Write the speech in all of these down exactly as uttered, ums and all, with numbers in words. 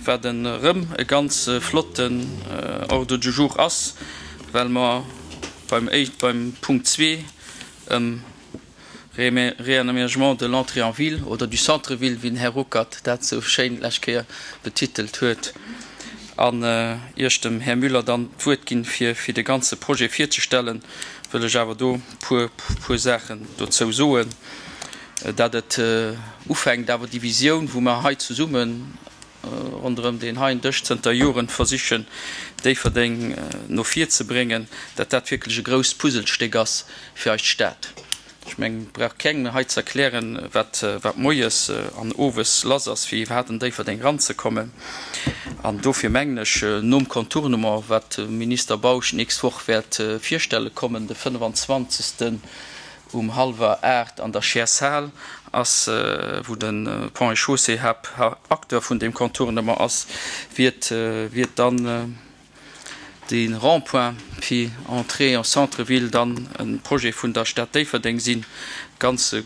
wat erëm e ganz flotten Ordre du jour ass, well mer beim, beim Punkt zwee ëm Réaménagement de l'entrée en ville oder du centre-ville, wéi den Här Ruckert dat sou schéin d'lescht Kéier betitelt huet, an ier ech dem Här Müller dann d'Wuert ginn, fir fir de ganze Projet virzestellen, wëll ech awer do puer puer Saachen dozou soen, dat et ufänkt awer déi Visioun, wou mer hei zesummen ronderëm deen heien Dësch zënter Joren versichen, Déifferdeng no vir ze bréngen, dat dat wierklech e grousst Puzzlestéck ass fir eis Stad. Ech mengen, et brauch kengem hei ze erklären, wat, wat moies an owes lass ass, fir iwwerhaapt an Déifferdeng eranzekommen. An dofir mengen ech, nom Contournement, wat de Minister Bausch d'nächst Woch wäert virstelle kommen, de fënnefenzwanzegsten um hallwer aacht an der Scheer-Saal ass, wou de Ponts et Chaussées Haaptacteur vun deem Contournement ass, wiert, wiert dann de Rond-point fir Entrée en centre-ville dann e Projet vun der Stad Déifferdeng sinn. Ganz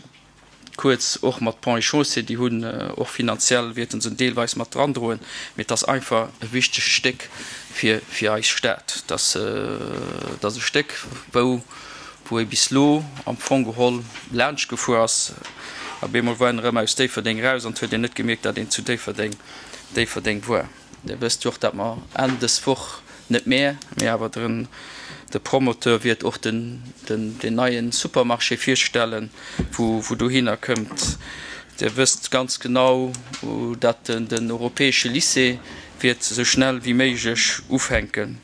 kuerz och mat Ponts et Chaussées, déi hunn och finanziell, wäerte se deelweis mat drandroen, mee et ass einfach e wichtegt Stéck fir, fir eis Stad. Et ass, et ass e Stéck, wou, wou ee bis elo am Fong geholl laanscht gefuer ass. Op eemol war een erëm aus Déifferdeng eraus an et huet een net gemierkt, datt een zu Déifferdeng, Déifferdeng war. Dir wësst jo och, datt mer Enn dës Woch, net mär, mee awer den, de Promoteur wäert och den, den, den neie Supermarché virstellen, wou, wou dohinner këmmt. Dir wësst ganz genau, datt den, den europäesche Lycée wäert esou schnell wéi méiglech ufänken.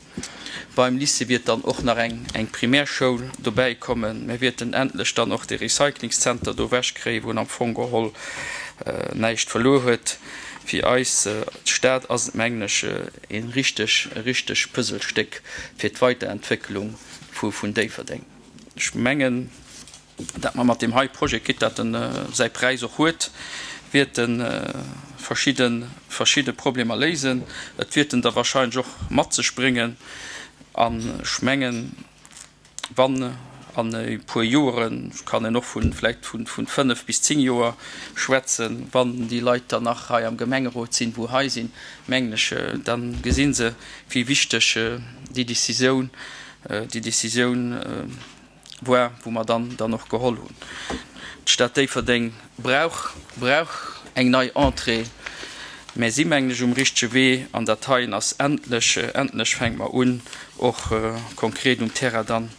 Beim Lycée wiert dann och nach eng eng Primärschoul dobäi kommen. Mir wierten endlech dann och de Recyclingszenter do ewechkréien, wou en am Fong geholl näischt verluer huet. Fir eis Stad ass et, mengen ech, e richteg e richteg Puzzlestéck fir d'Weiterentwécklung vu vun Déifferdeng. Ech mengen, dat mer mat deem hei Projet, quitte dat en säi Präis och huet, wäerte verschidde verschidde Problemer léisen. Et wäert en der wahrscheinlech och mat sech bréngen. An ech mengen, wann an e puer Joeren, kann een och vu vläicht vu fënnef bis zéng Joer schwätzen, wann déi Leit dann nach hei am Gemengerot sinn, wou hei sinn, mengen ech, da gesi se, wéi wichteg déi Décisioun, déi Décisioun war, wou mer dann dann och geholl hunn. D'Stad Déifferdeng brauch, brauch eng nei Entrée. Mär si mengen ech um richtege Wee an dat heien ass endlech, endlech fänke mer un och konkret um Terrain dann,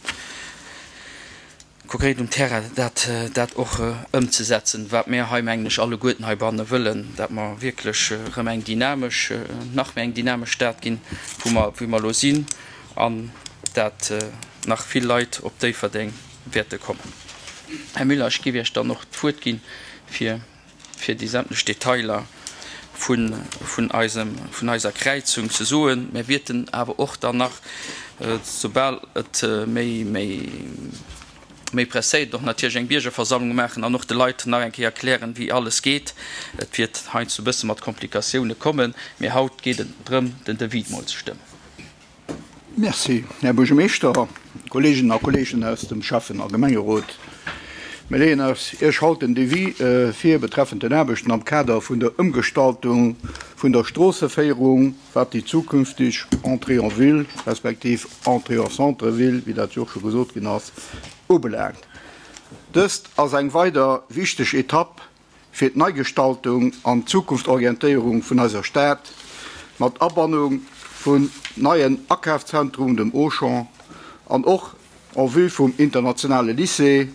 konkret um Terrain dat, dat och ëmzesetzen, wat mär hei mengen ech alleguerten heibanne wëllen, dat mer wierklech erëm eng dynamesch, nach méi eng dynamesch Stad ginn, wou mer, wéi mer elo sinn an dat nach vill Leit op Déifferdeng wäerte kommen. Här Müller, ech géif Iech dann och d'Wuert ginn, fir fir déi sämtlech Detailer vun, vun eisem, vun eiser Kräizung ze soen. Mir wierten awer och dann nach, soubal et méi, méi, méi presséiert, och natierlech eng Biergerversammlung maachen an och de Leit nach eng Kéier erklären, wéi alles geet. Et wiert heiansdo e bësse mat Komplikatioune kommen, mee haut geet et drëm, den Devis mol ze stëmmen. Merci, Här Buergermeeschter, Kolleeginnen a Kolleegen aus dem Schäffen a Gemengerot. Mir leeën eis Iech haut den Devis vir betreffend den Aarbechten am Kader vun der Ëmgestaltung vun der Stroosseféierung, wat déi zukünfteg Entrée en ville respektiv Entrée en centre-ville, wéi dat jo och scho gesot ginn ass, ubelaangt. Dëst ass eng weider wichteg Etapp fir d'Neigestaltung an d'Zukunftorientéierung vun eiser Stad, mat Abannung vun neien Akafszentrum, dem Auchan, an och en vue vum internationale Lycée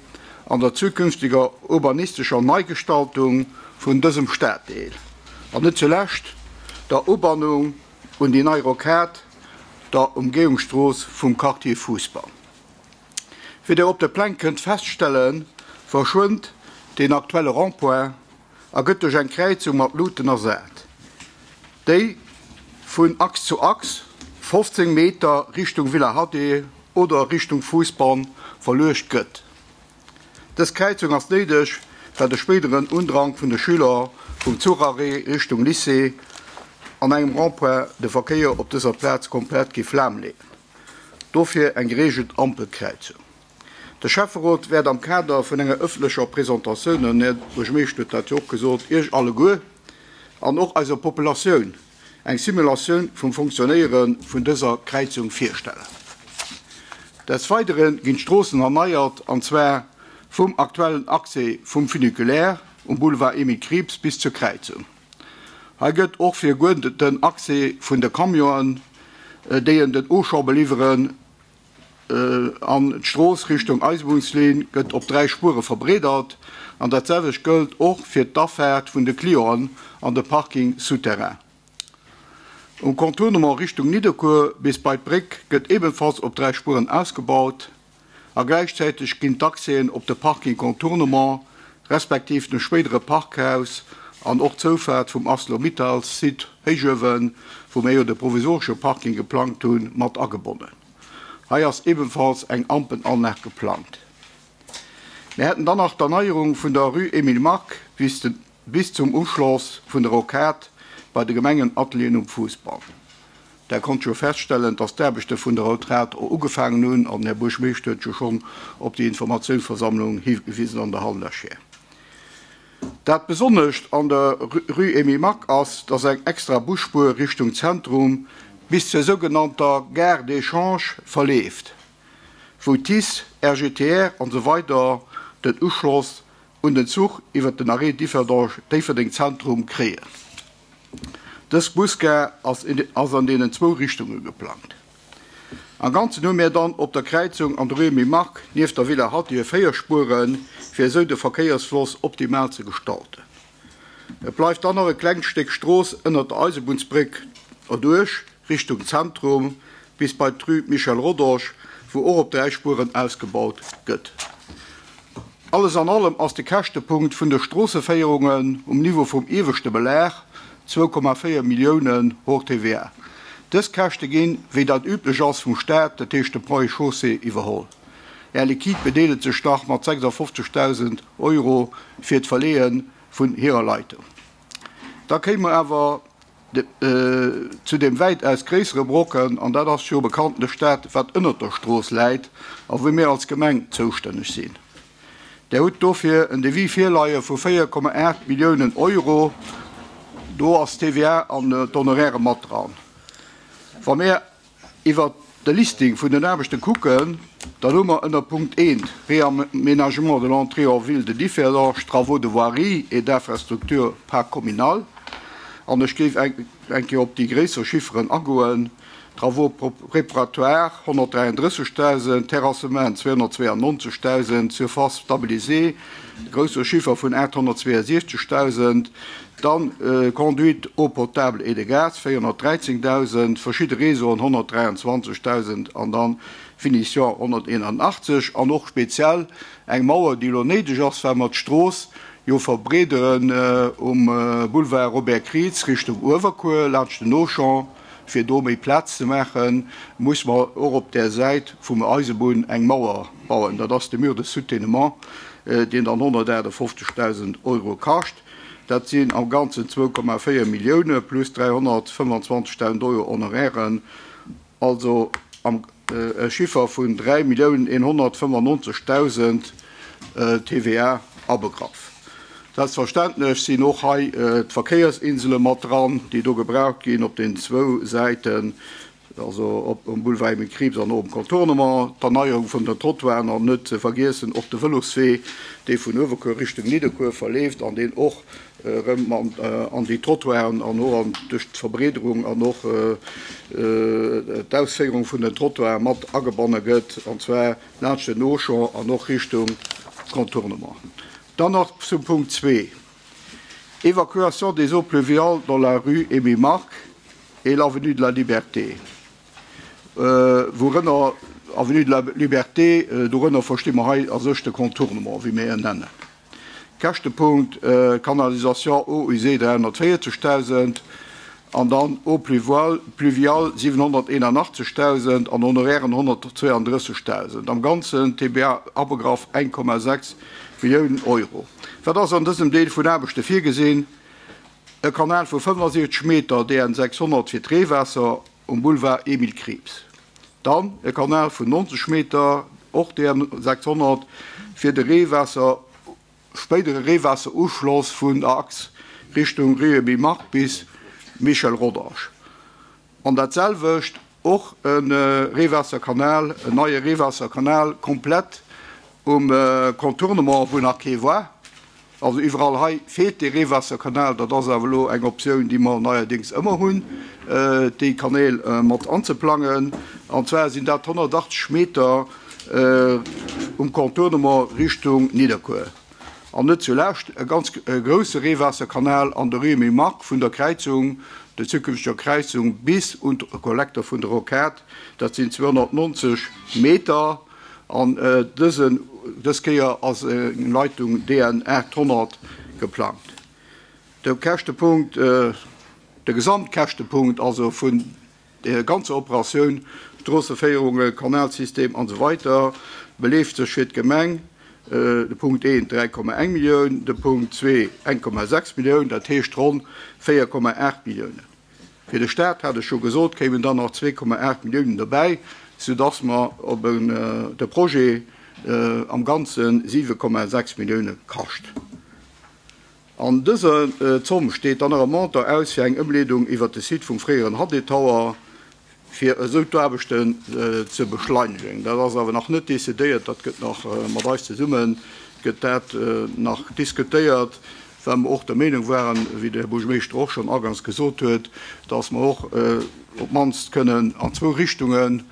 an der zukünftiger urbanistescher Neigestaltung vun dësem Staddeel, an net zulescht der Ubannung un déi nei Rocade, der Umgehungsstrooss vum Quartier Fousbann. Wéi Der op de Pläng kënnt feststellen, verschwënnt deen aktuelle Rond-point a gëtt duerch eng Kräizung mat Luuten ersat, déi vun Achs zu Achs fofzéng Meter Richtung Villa Haddé oder Richtung Fousbann verluecht gëtt. Dës Kräizung ass néideg, well de spéideren Undrang vun de Schüler vum Zucharrêt Richtung Lycée an engem Rond-point de Verkéier op dëser Plaz komplett géif lahmleeën. Dofir eng gereegelt Ampelkräizung. De Schäfferot wäert am Kader vun enger ëffentlecher Presentatioun, den Här Buergermeeschter huet dat jo och gesot, Iech alleguer an och eiser Populatioun eng Simulatioun vum Funktionéiere vun dëser Kräizung virstellen. Des Weidere ginn d'Stroossen erneiert, an zwar vum aktuellen Accès vum Funiculaire um Boulevard Emile Krieps bis zur Kräizung. Hei gëtt och fir den Accès vun de Camionen, déi en den Auchan beliwweren, an d'Strooss Richtung Eisebunnslinn gëtt op dräi Spuere verbreedert an dat selwecht gëllt och fir d'Afaart vun de Clienten an de Parking souterrain. Um Contournement Richtung Nidderkuer bis bei d'Bréck gëtt ebenfalls op dräi Spueren ausgebaut a gläichzäiteg ginn d'Accèsen op de Parking Contournement respektiv de spéidere Parkhaus an och d'Zoufaart vum Arcelor-Mittal-Site Héichuewen, wou mir jo de provisoresche Parking geplangt hunn, mat agebonnen. Hei ass ebenfalls eng Ampelanlag geplangt. Mir hätten dann nach d'Erneierung vun der Rue Emile Mark bis, de, bis zum Uschloss vun der Rocade bei de Gemengenatelieren um Fussball. Der konnt jo feststellen, dass d'Aarbechte vun der Rocade och ugefaangen hunn an Här Buergermeeschter huet jo schonn op déi Informatiounsversammlung higewisen an der Hall lech. Dat Besonnescht an der Rue Emile Mark ass, dass eng extra Busspuer Richtung Zentrum bis zur sougenannter Gare d'échange verleeft, wou TICE, R G T R an esou weider den Uschloss un den Zuch iwwer den Arrêt Déifferdeng Zentrum kréien. Dës Busgare ass, ass an deenen zwou Richtunge geplangt. Am Ganzen hu mir dann op der Kräizung an der Rue Emile Mark nieft der Villa Hattier véier Spueren, fir esou de Verkéiersfloss optimal ze gestalten. Et bleift dann nach e klengt Stéck Strooss ënner der Eisebunnsbréck erduerch Richtung Zentrum bis bei d'Rue Michel Rodange, wou och op dräi Spueren ausgebaut gëtt. Alles an allem ass de Käschtepunkt vun de Stroosseféierungen um Niveau vum ieweschte Belag zwou Komma véier Milliounen hors T V A. Dës Käschte ginn, wéi dat üblech ass, vum Staat, dat heescht de Ponts et Chaussées, iwwerholl. Air Liquide bedeelegt sech nach mat sechsafofzegdausend Euro fir d'Verleeë vun hirer Leitung. Da kéime mer awer zu dem wäitaus gréissere Brocken, an dat ass jo bekanntlech dat, wat ënner der Strooss läit a wou mir als Gemeng zoustänneg sinn. Der hutt dofir en Devis virleie vu véier Komma aacht Milliounen Euro, do ass T V A an d'Honoraire mat dran. Wa mir iwwer de Listing vun den Aarbechte kucken, dann hu mer ënner Punkt eent Réaménagement de l'entrée en ville de Differdange, travaux de voirie et d'infrastructure parc communal. An ech géif eng Kéier op déi gréisser Chifferen agoen. Travaux préparatoires honnertdräiandrëssegdausend, Terrassement zweehonnertzweeannonzegdausend, Surface stabilisée, grousse Chiffer vun aathonnertzweeasiechzegdausend, dann äh, Conduite eau potable et de gaz véierhonnertdräizéngdausend, verschidde Réseauen honnertdräianzwanzegdausend an dann Finition honnerteenanachtzeg an och speziell eng Mauer, déi lo néideg ass, well mer d'Strooss jo verbreederen äh, um äh, Boulevard Robert Krieps Richtung Uewerkuer, laanscht den Auchan, fir do méi Plaz ze maachen, muss mer och op der Säit vum Eisebunn eng Mauer bauen. Dat ass de Mur de soutènement, äh, deen dann honnertaachtefofzegdausend Euro kascht. Dat sinn am Ganzen zwou Komma véier Millioune plus dräihonnertfënnefanzwanzegdausend Euro Honorairen, also am äh, Chiffer vun dräi Milliounen eenhonnertfënnefannonzegdausend äh, T V A abegraff. Selbstverständlech sinn och hei äh, d'Verkéiersinsele mat dran, déi do gebraucht ginn op den zwou Säiten, also op um Boulevard Emile Krieps an um Contournement, d'Erneierung vun den Trottoiren an net ze vergiessen och de Vëloswee, dee vun Uewerkuer Richtung Nidderkuer verleeft an deen och äh, an, äh, an déi Trottoiren an och an duerch d'Verbreederung an och äh, äh, d'Ausféierung vun den Trottoiren mat agebonne gëtt, an zwar laanscht den Auchan an och Richtung Contournement. Dann nach zum Punkt zwee. Évacuation des eaux pluviales dans la rue Émile Mark et l'avenue de la Liberté. Äh, wourënner Avenue de la Liberté, äh, dorënner versti mer hei a sech de Contournement, wéi mir en nennen. Käschtepunkt äh, Canalisation eaux usées dräihonnertvéierzegdausend an dann eaux pluviales, pluviales siwenhonnerteenanachtzegdausend an Honorairen honnertzweeandrëssegdausend. Am Ganzen T V A abegraff eng Komma sechs Milliounen Euro. Wat ass an dësem Deel vun Aarbechte virgesinn? E Kanal vu fënnefasiechzeg Meter D N sechshonnert fir d'Reewaasser um Boulevard Emile Krieps. Dann e Kanal vun nonzeg Meter, och D N sechshonnert, fir de Reewaasser, spéidere Reewaasseruschloss vun der Achs Richtung Rue Emile Mark bis Michel Rodange. An dat selwecht och e Reewaasserkanal, en neie Reewaasserkanal komplett um Contournement, wou nach kee war. Also iwwerall hei feelt dee Reewaasserkanal. Dat ass awer elo eng Optioun, déi mer neierdéngs ëmmer hunn, déi Kanäl mat anzeplangen. An zwar sinn dat honnertachtzeg Meter um Contournement Richtung Nidderkuer. An net zulescht e ganz grousse Reewaasserkanal an der Rue Emile Mark vun der Kräizung, der zukünfteger Kräizung bis un de Kollektor vun der Rocade. Dat sinn zweehonnertnonzeg Meter. An dësen, dës Kéier ass eng Leitung D N aathonnert geplangt. De Käschtepunkt, de Gesamtkäschtepunkt also vun der ganzer Operatioun, Stroosseféierungen, Kanalsystem an esou weiter, beleeft sech fir d'Gemeng de Punkt eent dräi Komma eng Millioun, de Punkt zwee eng Komma sechs Millioun, dat heescht ronn véier Komma aacht Milliounen. Fir de Staat, hat ech scho gesot, kéimen dann nach zwee Komma aacht Milliounen dobäi, soudass mer op en, de Projet am Ganze siwe Komma sechs Millioune kascht. An dëser Zomm steet dann nach e Montant aus fir eng Ëmleedung iwwer de Site vum fréieren H D Tower, fir esou d'Aarbechten ze beschleunegen. Dat ass awer nach net decidéiert, dat gëtt nach mat eis zesummen, gëtt dat nach diskutéiert, well mer och der Meenung waren, wéi de Här Buergermeeschter och schonn agangs gesot huet, dass mer och op d'mannst kënnen an zwou Richtungen,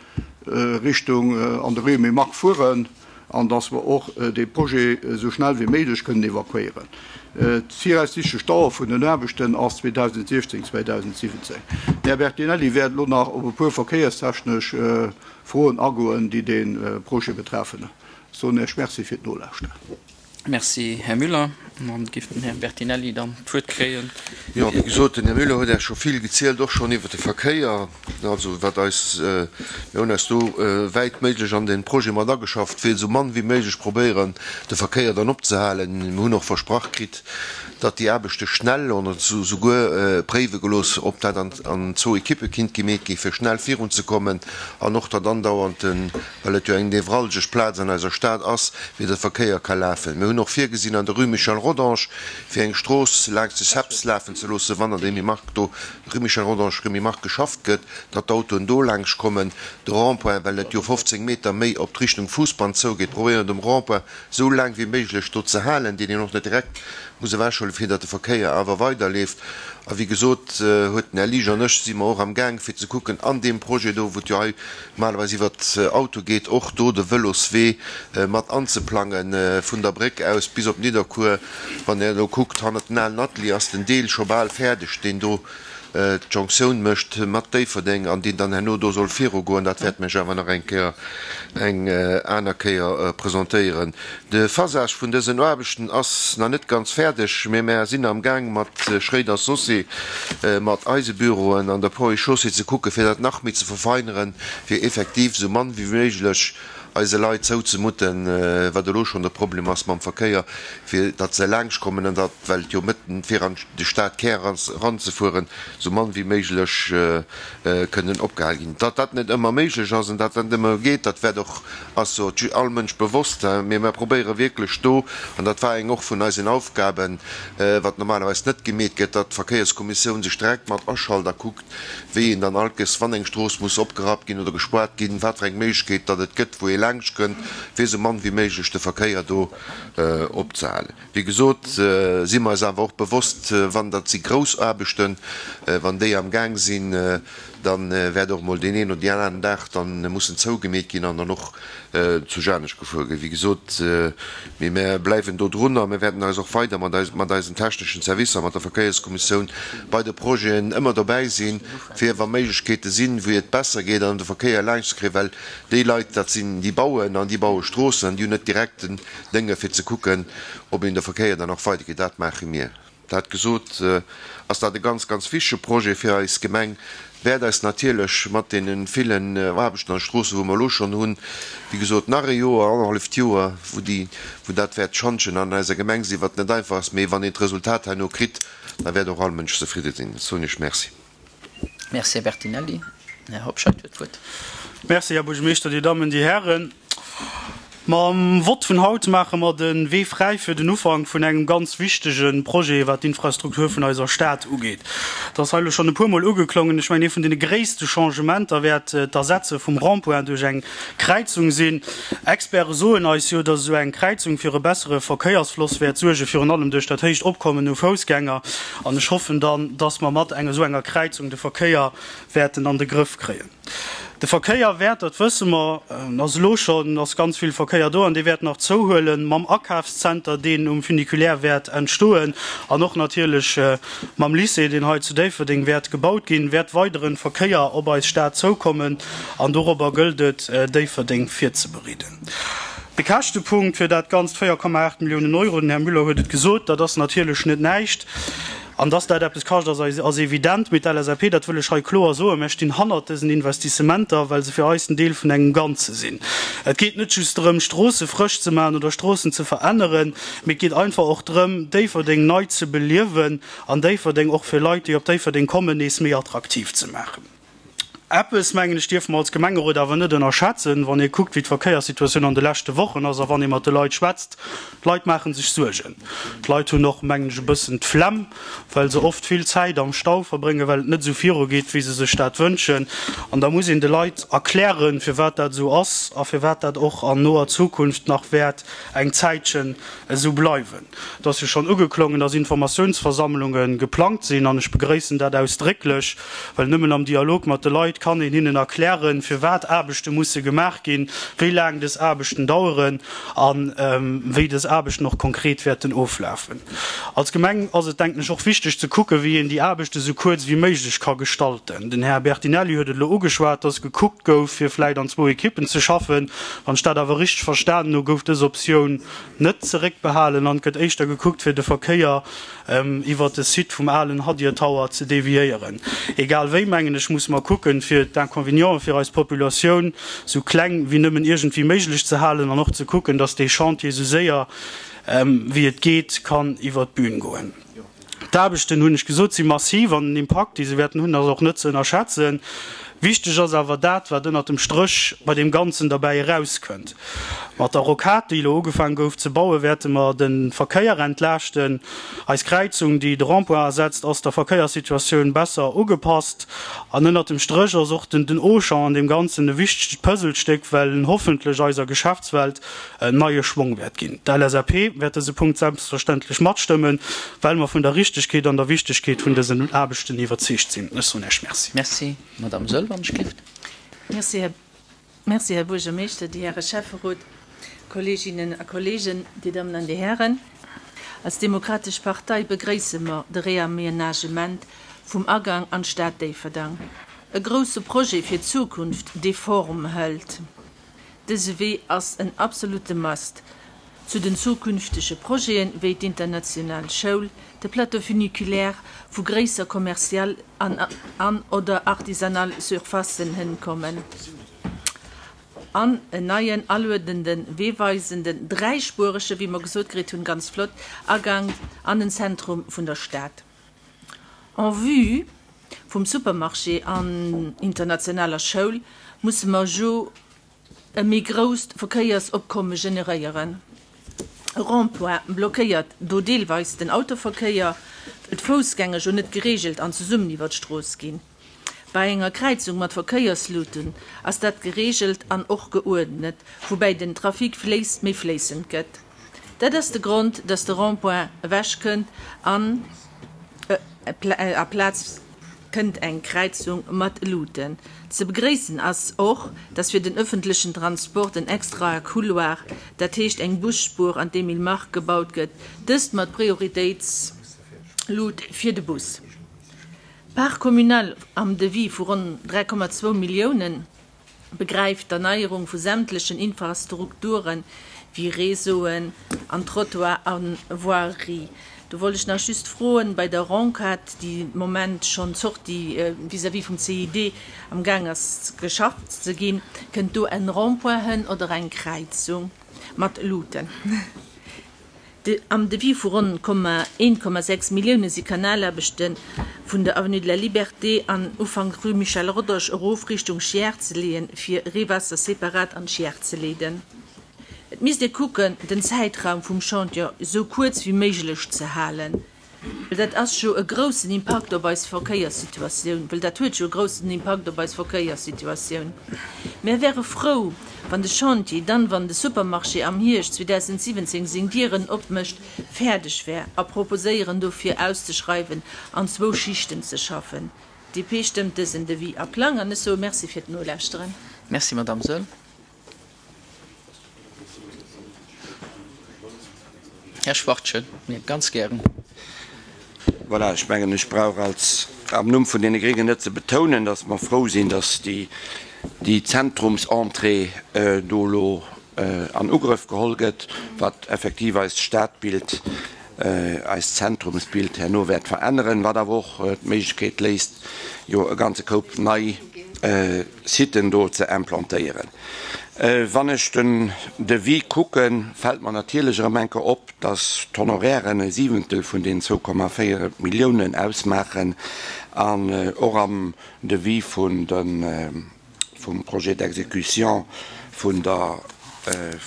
Richtung an de Rue Emile Mark fueren, an dass mer och dee Projet esou schnell wéi méiglech kënnen evakuéieren. D'viraussichtlech Dauer vun den Aarbechten ass zweedausendsiechzéng, zweedausendsiwwenzéng. Den Här Bertinelli wäert elo nach op e puer verkéierstechnesch Froen agoen, déi dee Projet betreffen. Ech soen Iech Merci fir d'Nolauschteren. Merci, Här Müller. An dann géif den Här Bertinelli dann d'Wuert kréien. Jo, wéi gesot, den Här Müller huet Iech scho vill gezielt, och schonn iwwert de Verkéier. Also wat eis, mir hunn eis do wäit méiglech an dee Projet mat ageschafft, fir esou mann wéi méiglech probéieren, de Verkéier dann opzehalen. Mir hunn och versprach kritt, datt déi Aarbechte schnell, oder souguer préiwe gelooss, ob dat an zwou Ekippe kinnt gemeet ginn, fir schnell virunzekommen, an och datt andauernd den, well et jo eng nevralgesch Plaz an eiser Stad ass, wéi de Verkéier ka lafen. Mir hunn och virgesinn an der Rue Michel Rodange, fir eng Strooss laanscht de C E P S lafen ze loossen, wann an dem Mark do Rue Michel Rodange, Rue Mark geschafft gëtt, datt d'Autoen do laanscht kommen. De Rond-point, well et jo fofzéng Meter méi op d'Richtung Fuussband zougeet, probéieren dem Rond-point esou laang wéi méiglech do ze halen, deen een och net direkt muss ewechhuelen, fir datt de Verkéier awer weiderleeft. A wéi gesot, huet den Här Liesch an ech si mer och am Gaang fir ze kucken an deem Projet do, wou et jo hei normalerweis iwwer Auto geet, och do de Vëloswee mat anzeplangen vun der Bréck aus bis op Nidderkuer. Wann Dir elo kuckt, hannert den alen Atelier ass den Deel scho bal fäerdeg, deen do d'Jonctioun mécht mat Déifferdeng an deen dann herno do soll virugoen. Dat wäert mech awer nach eng Kéier eng aner Kéier presentéieren. De Phasage vun dësen Aarbechten ass nach net ganz fäerdeg, mee mär sinn am Gaang mat Schréider Saucé, mat eise Büroen an der Ponts et Chaussées ze kucken, fir dat nach méi ze verfeineren, fir effektiv esou mann wéi méiglech eise Leit zouzemuten, wat elo schonn de Problem ass mam Verkéier, fir datt se laanscht kommen an datt, well et jo mëtten fir an de Stadkär eranzefueren, esou mann wéi méiglech kënnen opgehal ginn. Datt dat net ëmmer méiglech ass an datt dat net ëmmer geet, dat wäert och, ass jo all Mënsch bewosst, mee mir probéiere wierklech do, an dat war eng och vun eisen Aufgaben, wat normalerweis net gemeet gëtt, datt d'Verkéierskommissioun sech direkt mat aschalt a kuckt, wéi een dann alkes, wann eng Strooss muss opgerappt ginn oder gespuart ginn, wat fir eng Méiglechkeet datt et gëtt, wou ee laanscht kënnt, fir esou mann wéi méiglech de Verkéier do opzehalen. Wéi gesot, si mer eis awer och bewosst, wann dat si grouss Aarbechten, wann déi am Gaang sinn, dann wäert och mol deen een oder deen aneren Dag dann mussen zougemeet ginn an dann och zu Janesch gefuer ginn. Wéi gesot, mee mir bleiwen do drun a mir wäerten eis och weider mat eis, mat eisen techneschen Servicer, mat der Verkéierskommissioun bei de Projeten ëmmer dobäi sinn, fir wa Méiglechkeete sinn, wéi et besser geet an de Verkéier laanscht ze kréien, well déi Leit, dat sinn déi bauen an déi baue Stroossen an déi hunn net direkt den Dénge fir ze kucken, ob een de Verkéier dann och weidergeet. Dat maache mir. Dat gesot, ass dat e ganz, ganz wichtege Projet fir eis Gemeng, wäert eis natierlech mat deene villen Aarbechten an Stroosse, wou mer elo schonn hunn, wéi gesot, nach e Joer, annerhalleft Joer, wou déi, wou dat wäert Schantjen an eiser Gemeng sinn, wat net einfach ass, mee wann een d'Resultat herno kritt, da wäert och all Mënsch zefridde sinn. Dat soen ech. Merci. Merci, Här Bertinelli. Här Hobscheit huet d'Wuert. Merci, Här Buergermeeschter, Dir Dammen, Dir Hären. Mam Vott vun haut maache mer de Wee fräi fir den Ufank vun engem ganz wichtege Projet, wat d'Infrastruktur vun eiser Stad ugeet. Et ass hei elo schonn e puermol ugeklongen, ech mengen, ee vun deene gréisste Changementer wäert d'Ersetze vum Rond-point duerch eng Kräizung sinn. Experte soen eis jo, dass esou eng Kräizung fir e bessere Verkéiersfloss wäert suergen, virun allem duerch dat héicht Opkommen u Foussgänger. An ech hoffen dann, dass mer mat esou enger Kräizung de Verkéier wäerten an de Grëff kréien. De Verkéier wäert, dat wësse mer, en ass elo schonn, ass ganz vill Verkéier do an dee wäert nach zouhuelen mam Akafszenter, deen um Funiculaire wäert entstoen an och natierlech mam Lycée, deen hei zu Déifferdeng wäert gebaut ginn, wäert weidere Verkéier op eis Stad zoukommen an dorobber gëllt et, Déifferdeng virzebereeden. De Käschtepunkt fir dat Ganzt, véier Komma aacht Milliounen Euro, den Här Müller huet et gesot, dat ass natierlech net näischt. An dass dat eppes kascht, ass evident. Mee d'LSAP, dat wëll ech hei kloer soen, mär stinn hannert dësen Investissementer, well se fir eis en Deel vun engem Ganze sinn. Et geet net just drëm, Stroosse frësch ze maachen oder Stroossen ze veränneren, mee et geet einfach och drëm, Déifferdeng nei ze beliewen an Déifferdeng och fir Leit, déi op Déifferdeng kommen, nees méi attraktiv ze maachen. Eppes, mengen ech, dierfe mer als Gemengerot awer net ënnerschätzen, wann ee kuckt, wéi d'Verkéierssituatioun an de leschte Wochen ass a wann ee mat de Leit schwätzt. D'Leit maache sech Suergen. D'Leit hunn och, mengen ech, e bëssen d'Flemm, well se oft vill Zäit am Stau verbréngen, well et net esou virugeet, wéi se sech dat wënschen. An da muss een de Leit erklären, firwat dat esou ass a firwat dat och an noer Zukunft nach wäert eng Zäitchen esou bleiwen. Et ass jo schonn ugeklongen, dass Informatiounsversammlunge geplangt sinn, an ech begréissen dat ausdrécklech, well nëmmen am Dialog mat de Leit kann een hinnen erklären, firwat Aarbechte musse gemaach ginn, wéi laang dës Aarbechten daueren a wéi dës Aarbechten och konkret wäerten oflafen. Als Gemeng ass et, denken ech, och wichteg ze kucken, wéi een déi Aarbechte sou kuerz wéi méiglech ka gestalten. Den Här Bertinelli huet et elo ugeschwat, dass gekuckt gouf, fir vläicht an zwou Ekippen ze schaffen. Wann ech dat awer richteg verstanen hu, gouf dës Optioun net zeréckbehalen an et gëtt éischter gekuckt, fir de Verkéier iwwert de Site vum alen Hadir Tower ze deviéieren. Egal wéi, mengen ech, musse mer kucken, fir d'Inconvénienten fir eis Populatioun sou kleng wéi nëmmen iergendwéi méiglech ze halen an och ze kucken, dass dee Chantier sou séier wéi et geet kann iwwert d'Bün goen. D'Aarbechten, hunn ech gesot, si massiv an den Impakt, dee se wäerten hunn, ass och net ze ënnerschätzen. Wichteg ass awer dat, wat ënnert dem Stréch bei deem Ganzen derbäi erauskënnt. Mat der Rocade, déi elo ugefaangen gouf ze bauen, wäerte mer de Verkéier entlaaschten. Eis Kräizung, déi de Rond-point ersetzt, ass der Verkéierssituatioun besser ugepasst. An ënnert dem Stréch ass och den Auchan an deem Ganzen e wichtegt Puzzlestéck, well en hoffentlech eiser Geschäftswelt en neie Schwong wäert ginn. D'LSAP wäert dëse Punkt selbstverständlech matstëmmen, well mer vun der Richtegkeet an der Wichtegkeet vun dësen Aarbechten iwwerzeegt sinn. Ech soen Iech Merci. Merci, Madame Söll, wann ech gift. Merci, Här, merci, Här Buergermeeschter, déi Häre Schäfferot, Kolleeginnen a Kolleegen, Dir Dammen an Dir Hären. Als Demokratesch Partei begréisse mer de Reamenagement vum Agang an d'Stad Déifferdang. E grousse Projet fir d'Zukunft, dee Form hëlt. Dëse Wee ass en absolute Must. Zu den zukünftege Projeten, wéi d'international Schoul, de Plateau funiculaire, wou gréisser commercial an an oder artisanal Surfacen hënkommen, an en neien aluedenden, weeweisenden, dräispuerege, wéi mer gesot kritt hunn, ganz flott, Agank an den Zentrum vun der Stad. En vue vum Supermarché an internationaler Schoul musse mer jo e méi grousst Verkéiersopkomme generéieren. E Rond-point blockéiert do deelweis den Autoverkéier, well d'Foussgänger jo net gereegelt an zesummen iwwer d'Strooss ginn. Bei enger Kräizung mat Verkéiersluten ass dat gereegelt an och geuerdnet, woubäi den Trafic fléisst méi fléissend gëtt. Dat ass de Grond, dass de Rond-point ewechkënnt an aplaz kënnt eng Kräizung mat Luuten. Ze begréissen ass och, dass fir den ëffentlechen Transport en extrae Couloir, dat heescht eng Busspuer an d'Emile Mark gebaut gëtt, dëst mat Prioritéitslut fir de Bus. D'Part communale am Devis vu ronn dräi Komma zwou Milliounen begräift d'Erneierung vu sämtlechen Infrastrukture wéi Réseauen an Trottoir a Voirie. Do wollt ech nach just froen, bei der Rocade, déi de Moment schonn d'Sortie vis-à-vis vum C I D am Gaang ass geschafft ze ginn, kënnt do en Rond-point hënn oder eng Kräizung mat Luuten? Am Devis vu ronn een Komma sechs Millioune si Kanalaarbechte vun der Avenue de la Liberté an Ufank Rue Michel Rodange erof Richtung Chiers ze leeën, fir Reewaasser separat an d'Chiers ze leeden. Et misst ee kucken, den Zäitraum vum Chantier esou kuerz wéi méiglech ze halen, well dat ass jo e groussen Impakt op eis Verkéierssituatioun, well dat huet jo e groussen Impakt op eis Verkéierssituatioun. Mär wäre frou, wann de Chantier dann, wann de Supermarché am Hierscht zweedausendsiwwenzéng seng Dieren opmécht, fäerdeg wär a proposéieren dofir auszeschreiwen an zwou Schichten ze schaffen. D P stëmmt dësen Devis a Plang an ech soe Merci fir d'Nolauschteren. Merci, Madamm Saeul. Här Schwachtgen, ganz gären. Voilà, ech mengen, ech brauch als am Numm vun deene Gréngen net ze betounen, dass mer frou sinn, dass déi, déi Zentrumsentrée do elo an Ugrëff geholl gëtt, wat effektiv eist Stadbild, eist Zentrumsbild herno wäert veränneren, wat awer och d'Méiglechkeet léisst, jo e ganze Koup nei Siten do ze implantéieren. Wann ech den Devis kucken, fält mer natierlech erëm eng Kéier op, dass d'Honorairen e Siwentel vun den zwou Komma véier Milliounen ausmaachen an och am Devis vun de vum Projet d'exécution vun der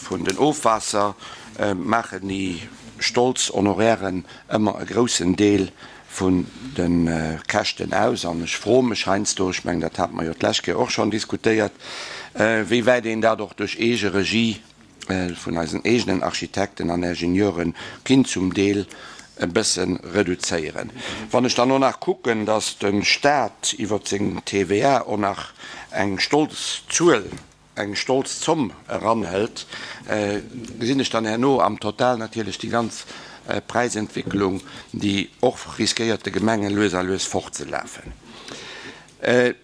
vun den Ofwaasser maachen déi stolz Honorairen ëmmer e groussen Deel vun de Käschten aus. An ech froe mech heiansdo, ech mengen, dat hate mer jo d'lescht Kéier och schonn diskutéiert, wéi wäit een dat och duerch eege Regie vun eisen eegenen Architekten an Ingenieure kinnt zum Deel e bësse reduzéieren. Wann ech dann och nach kucken, dass de Stat iwwer seng T V A och nach eng stolz Zuel, eng stolz Zomm eranhëlt, gesinn ech dann herno am Total natierlech déi ganz Präisentwicklung, déi och riskéiert de Gemenge lues a lues fortzelafen.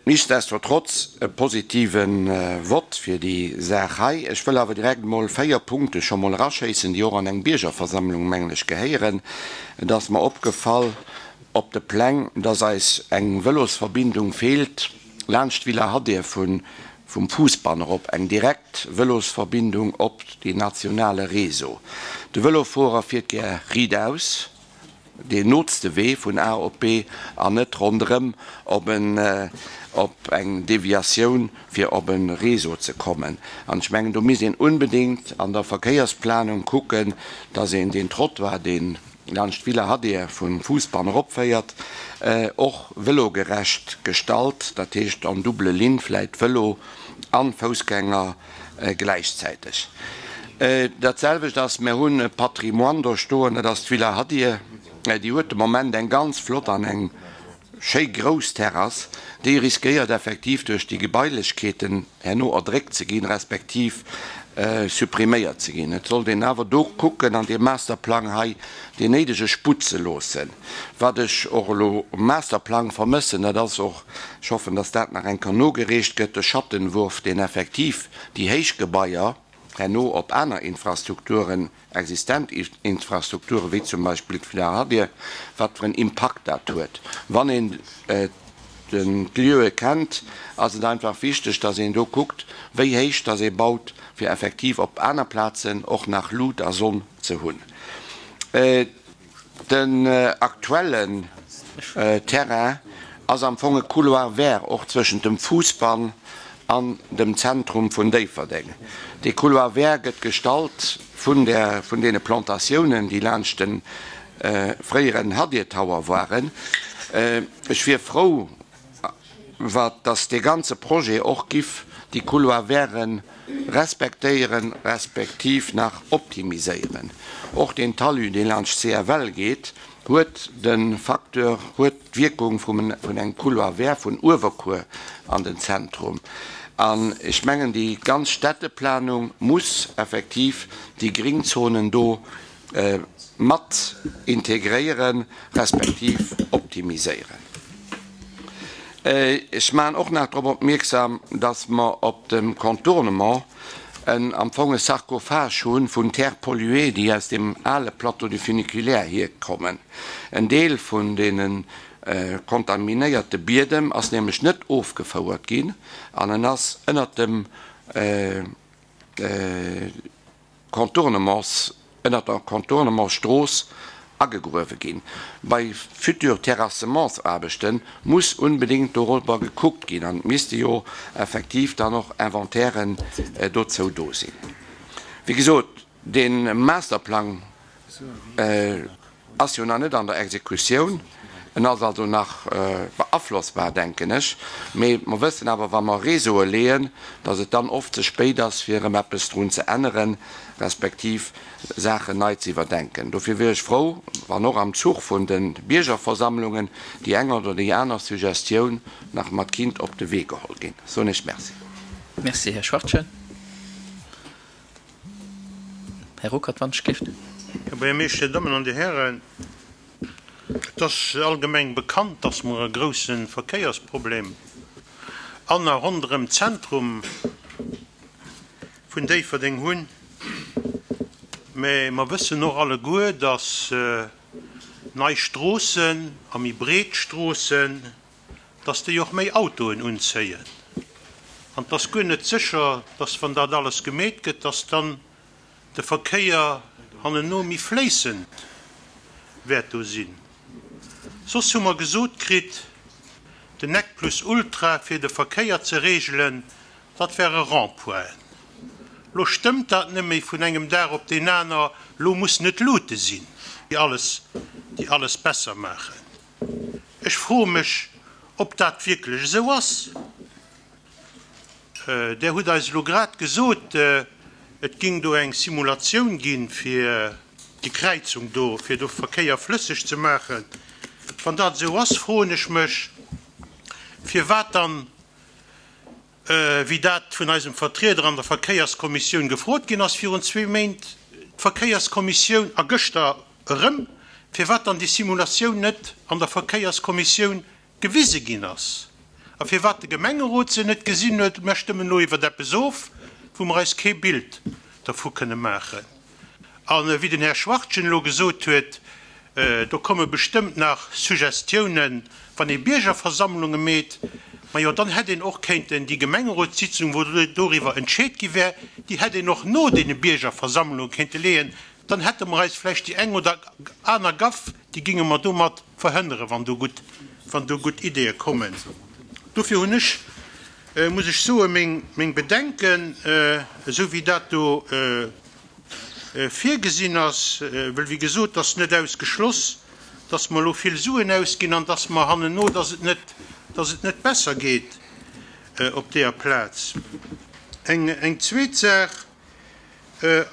Nichtsdestotrotz e positive Vott fir déi Saach hei. Ech wëll awer direkt emol véier Punkte scho mol eraschéissen, déi och an eng Biergerversammlung, mengen ech, gehéieren. Et ass mer opgefall op de Pläng, dass eis eng Vëlosverbindung feelt laanscht d'Villa Hadir vun vum Fousbann erop, eng direkt Vëlosverbindung op deen nationale Réseau. De Vëlofuerer fiert gär riitaus, deen nootste Wee vun A op B an net ronderëm op en op eng Deviatioun fir op e Réseau ze kommen. An ech mengen, do misst een unbedéngt an der Verkéiersplanung kucken, dass een deen Trottoir, deen laanscht d'Villa Hadir vum Fousbann eropféiert, och vëlogerecht gestalt, dat heescht en double ligne vläit Vëlo an Foussgänger gläichzäiteg. Dat selwecht ass, mir hunn e Patrimoine do stoen, dat ass d'Villa Hadir, déi huet de Moment eng ganz flott an eng schéi grouss Terrass, déi riskéiert effektiv duerch déi Gebailechkeeten herno erdréckt ze ginn, respektiv suppriméiert ze ginn. Et sollt een awer do kucken an deem Masterplang hei deen néidege Sputt ze loossen. Wat ech och elo um Masterplang vermëssen, dat ass och, ech hoffen, dass dat nach eng Kéier nogereecht gëtt, de Schattenwurf, deen effektiv déi héich Gebaier herno op aner Infrastrukturen, existent Infrastrukturen, wéi zum Beispill d'Villa Hadir, wat fir en Impakt dat huet. Wann een d'Lieue kennt, ass et einfach wichteg, dass een do kuckt, wéi héich dass ee baut, fir effektiv op aner Plazen och nach Lut a Sonn ze hunn. Den aktuellen Terrain ass am Fong e Couloir vert och zwëschent dem Fousbann an dem Zentrum vun Déifferdeng. Dee Couloir vert gëtt gestalt vun der, vun deene Plantatiounen, déi laanscht de fréieren Hadir Tower waren. Ech wier frou, wat dass dee ganze Projet och giff déi Couloir verten respektéieren, respektiv nach optimiséieren. Och deen Talus, dee laanscht C F L geet, huet de Facteur, huet d'Wierkung vum vun engem Couloir vert vun Uewerkuer an den Zentrum. An ech mengen, déi ganz Städteplanung muss effektiv déi Gringzonen do mat integréieren, respektiv optimiséieren. Ech maachen och nach drop opmierksam, dass mer op dem Contournement en am Fong e Sarkophage hunn vun Terre polluée, déi aus dem ale Plateau du Funiculaire hierkommen. En Deel vun deene kontaminéierte Biedem ass nämlech net ofgefouert ginn an en ass ënnert dem Contournements, ënnert der Contournementsstrooss agegruewe ginn. Bei future Terrassementsaarbechte muss unbedéngt dorobber gekuckt ginn an et misste jo effektiv dann och Inventairen dozou do sinn. Wéi gesot, dee Masterplang ass jo nach net an der Exekutioun, en ass also nach beaflossbar, denken ech. Mee mer wëssen awer, wa mer Réseaue leeën, datt et dann oft ze spéit ass, fir erëm eppes drun ze änneren, respektiv Saachen nei ze iwwerdenken. Dofir wier ech frou, wann och am Zuch vun de Biergerversammlungen déi eng oder déi aner Suggestioun nach mat kinnt op de Wee geholl ginn. Soen ech Merci. Merci, Här Schwachtgen. Här Ruckert, wann ech géif. Här Buergermeeschter, Dir Dammen an Dir Hären, et ass allgemeng bekannt, dass mer e grousse Verkéiersproblem an a ronderëm d'Zentrum vun Déifferdeng hunn. Mä mer wëssen och alleguer, dass nei Stroossen a méi breet Stroossen, dass déi och méi Autoen unzéien. An et ass guer net sécher, dass, wann dat alles gemeet gëtt, dass dann de Verkéier hannenno méi fléissend wäert do sinn. Soss hu mer gesot kritt, den Nec plus ultra fir de Verkéier ze regelen, dat wäre Rond-pointen. Lo stëmmt dat net méi vun engem Dag op deen aner, lo mussen et Luute sinn, déi alles, déi alles besser maachen. Ech froe mech, ob dat wierklech esou ass. Där hutt eis elo grad gesot, et géing do eng Simulatioun ginn, fir déi Kräizung do, fir do Verkéier flësseg ze maachen. Wann dat esou ass, froen ech mech, firwat dann, wéi dat vun eisem Vertrieder an der Verkéierskommissioun gefrot ginn ass virun zwee Méint, d'Verkéierskommissioun, a gëschter erëm, firwat dann déi Simulatioun net an der Verkéierskommissioun gewise ginn ass a firwat de Gemengerot se net gesinn huet. Mer stëmmen elo iwwert eppes of, wou mer eis kee Bild dervu kënne maachen. A wéi den Här Schwachtgen elo gesot huet, do komme bestëmmt nach Suggestiounen, wann ee Biergerversammlunge meet. Majo, dann hätt een och kéinten déi Gemengerotssitzung, wou doriwwer entscheet gi wär, déi hätt een och no deene Biergerversammlunge kéinte leeën. Dann hätte mer eis vläicht déi eng oder aner Gaff, déi géinge mer domat verhënneren, wann do gutt, wann do gutt Ideeë kommen. Dofir hunn ech, muss ech soen, meng, meng Bedenken, esou wéi dat do virgesinn ass, well wéi gesot, et ass net ausgeschloss, dass mer elo vill Suen ausginn an dass mer hannenno, dass et net, dass et net besser geet op deeër Plaz. Eng, eng zweet Saach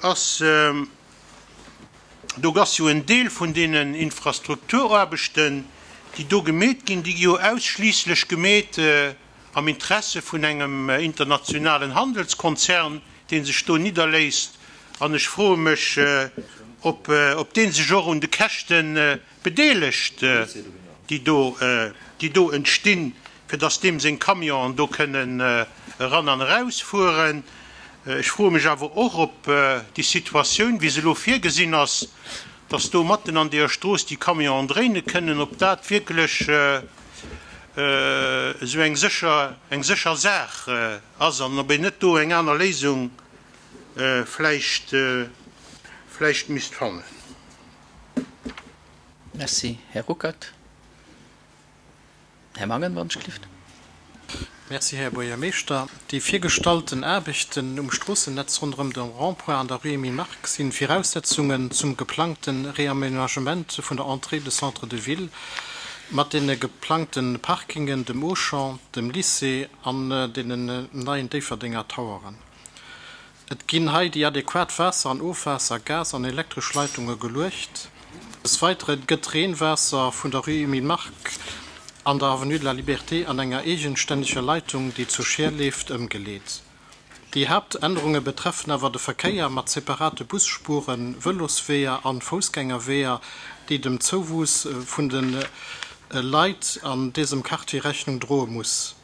ass, do ass jo en Deel vun deenen Infrastrukturaarbechten, déi do gemeet ginn, déi gi jo ausschliisslech gemeet am Interesse vun engem internationalen Handelskonzern, dee sech do nidderléisst. An ech froe mech, ob, ob dee sech och un de Käschte bedeelegt, déi do, déi do entstinn, fir dass deem seng Camionen do kënnen eran an erausfueren. Ech froe mech awer och, ob déi Situatioun, wéi se elo virgesinn ass, dass do matten an deeër Strooss déi Camionen dréine kënnen, ob dat wierklech esou eng sécher, eng sécher Saach ass an ob een net do eng aner Léisung vläicht, vläicht misst fannen. Merci, Här Ruckert. Här Mangen, wann ech gelift. Merci, Här Buergermeeschter. Déi virgestallten Aarbechten um Stroossennetz ronderëm de Rond-point an der Rue Emile Mark si Viraussetzungen zum geplangte Reaménagement vun der Entrée de Centre de ville mat deene geplangte Parkingen, dem Auchan, dem Lycée an deenen neien Déifferdenger Toweren. Et ginn hei déi adequat Waasser an Ofwaasser-, Gas an elektresch Leitunge geluecht. Des Weitere gëtt d'Reenwaasser vun der Rue Emile Mark an der Avenue de la Liberté an enger eegenstänneger Leitung, déi zur Scheer leeft, ëmgeleet. Déi Haaptännerunge betreffen awer de Verkéier mat separate Busspuren, Vëlosweeër an Foussgängerweeër, déi dem Zouwuess vun de Leit an dësem Quartier Rechnung droe muss.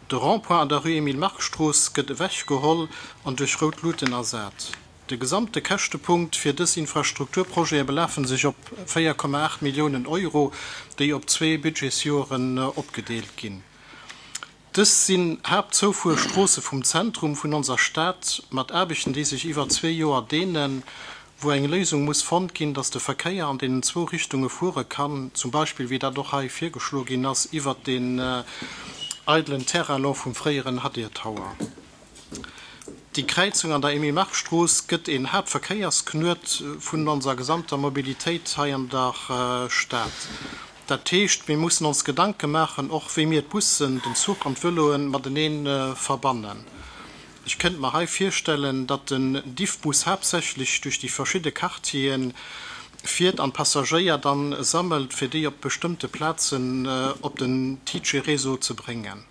De Rond-point an der Rue Emile Mark Strooss gëtt ewechgeholl an duerch rout Luuten ersat. De gesamte Käschtepunkt fir dës Infrastrukturprojete belafen sech op véier Komma aacht Milliounen Euro, déi op zwee Budgetsjoren opgedeelt ginn. Dës sinn Haaptzoufuerstroosse vum Zentrum vun onser Stad, mat Aarbechten, déi sech iwwer zwee Joer deenen, wou eng Léisung muss fonnt ginn, dass de Verkéier an deenen zwou Richtunge fuere kann, zum Beispill, wéi dat och hei virgeschloe ginn ass, iwwert deen eidelen Terrain elo vum fréieren Hadir Tower. Déi Kräizung an der Emile-Mark-Strooss gëtt een Haaptverkéiersknuet vun onser gesamter Mobilitéit hei an der Stad. Dat heescht, mir mussen ons Gedanke maachen, och wéi mir d'Bussen, den Zuch an d'Vëloe matenee verbannen. Ech kënnt mer hei virstellen, datt den Diffbus haaptsächlech duerch déi verschidde Quartiere fiert an d'Passagéier dann sammelt, fir déi op bestëmmte Plazen op den TICE-Réseau ze bréngen.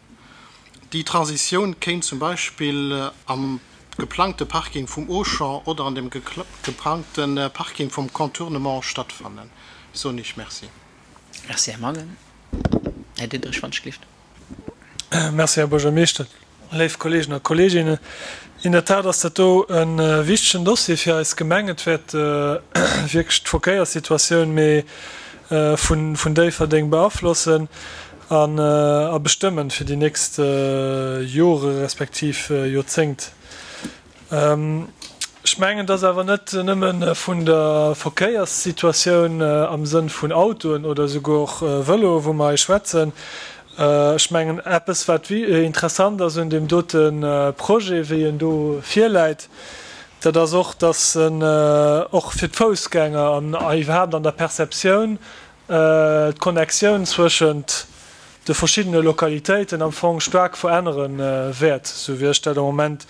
Déi Transitioun kéint zum Beispill am geplangte Parking vum Auchan oder an dem geplangte Parking vum Contournement stattfannen. Ech soen Iech Merci. Merci, Här Mangen. Här Diderich, wann ech gelift. Merci, Här Buergermeeschter. Léif Kolleegen a Kolleeginnen, in der Tat ass dat do e wichtegen Dossier fir eis Gemeng. Et wäert wierklech d'Verkéierssituatioun méi vun Déifferdeng beaflossen a bestëmmen fir déi nächst Jore respektiv Joerzéngt. Ech mengen, et ass awer net nëmme vun der Verkéierssituatioun am Sënn vun Autoen oder esouguer och Vëloe wou mer hei schwätzen. Ech mengen, eppes wat interessant ass un deem dote Projet, wéi en do virläit, dat ass och, dass en och fir d'Foussgänger an iwwerhaapt an der Perceptioun d'Connectioun zwëschent de verschiddene Lokalitéiten am Fong staark verännere wäert, esou wéi ech dat am Moment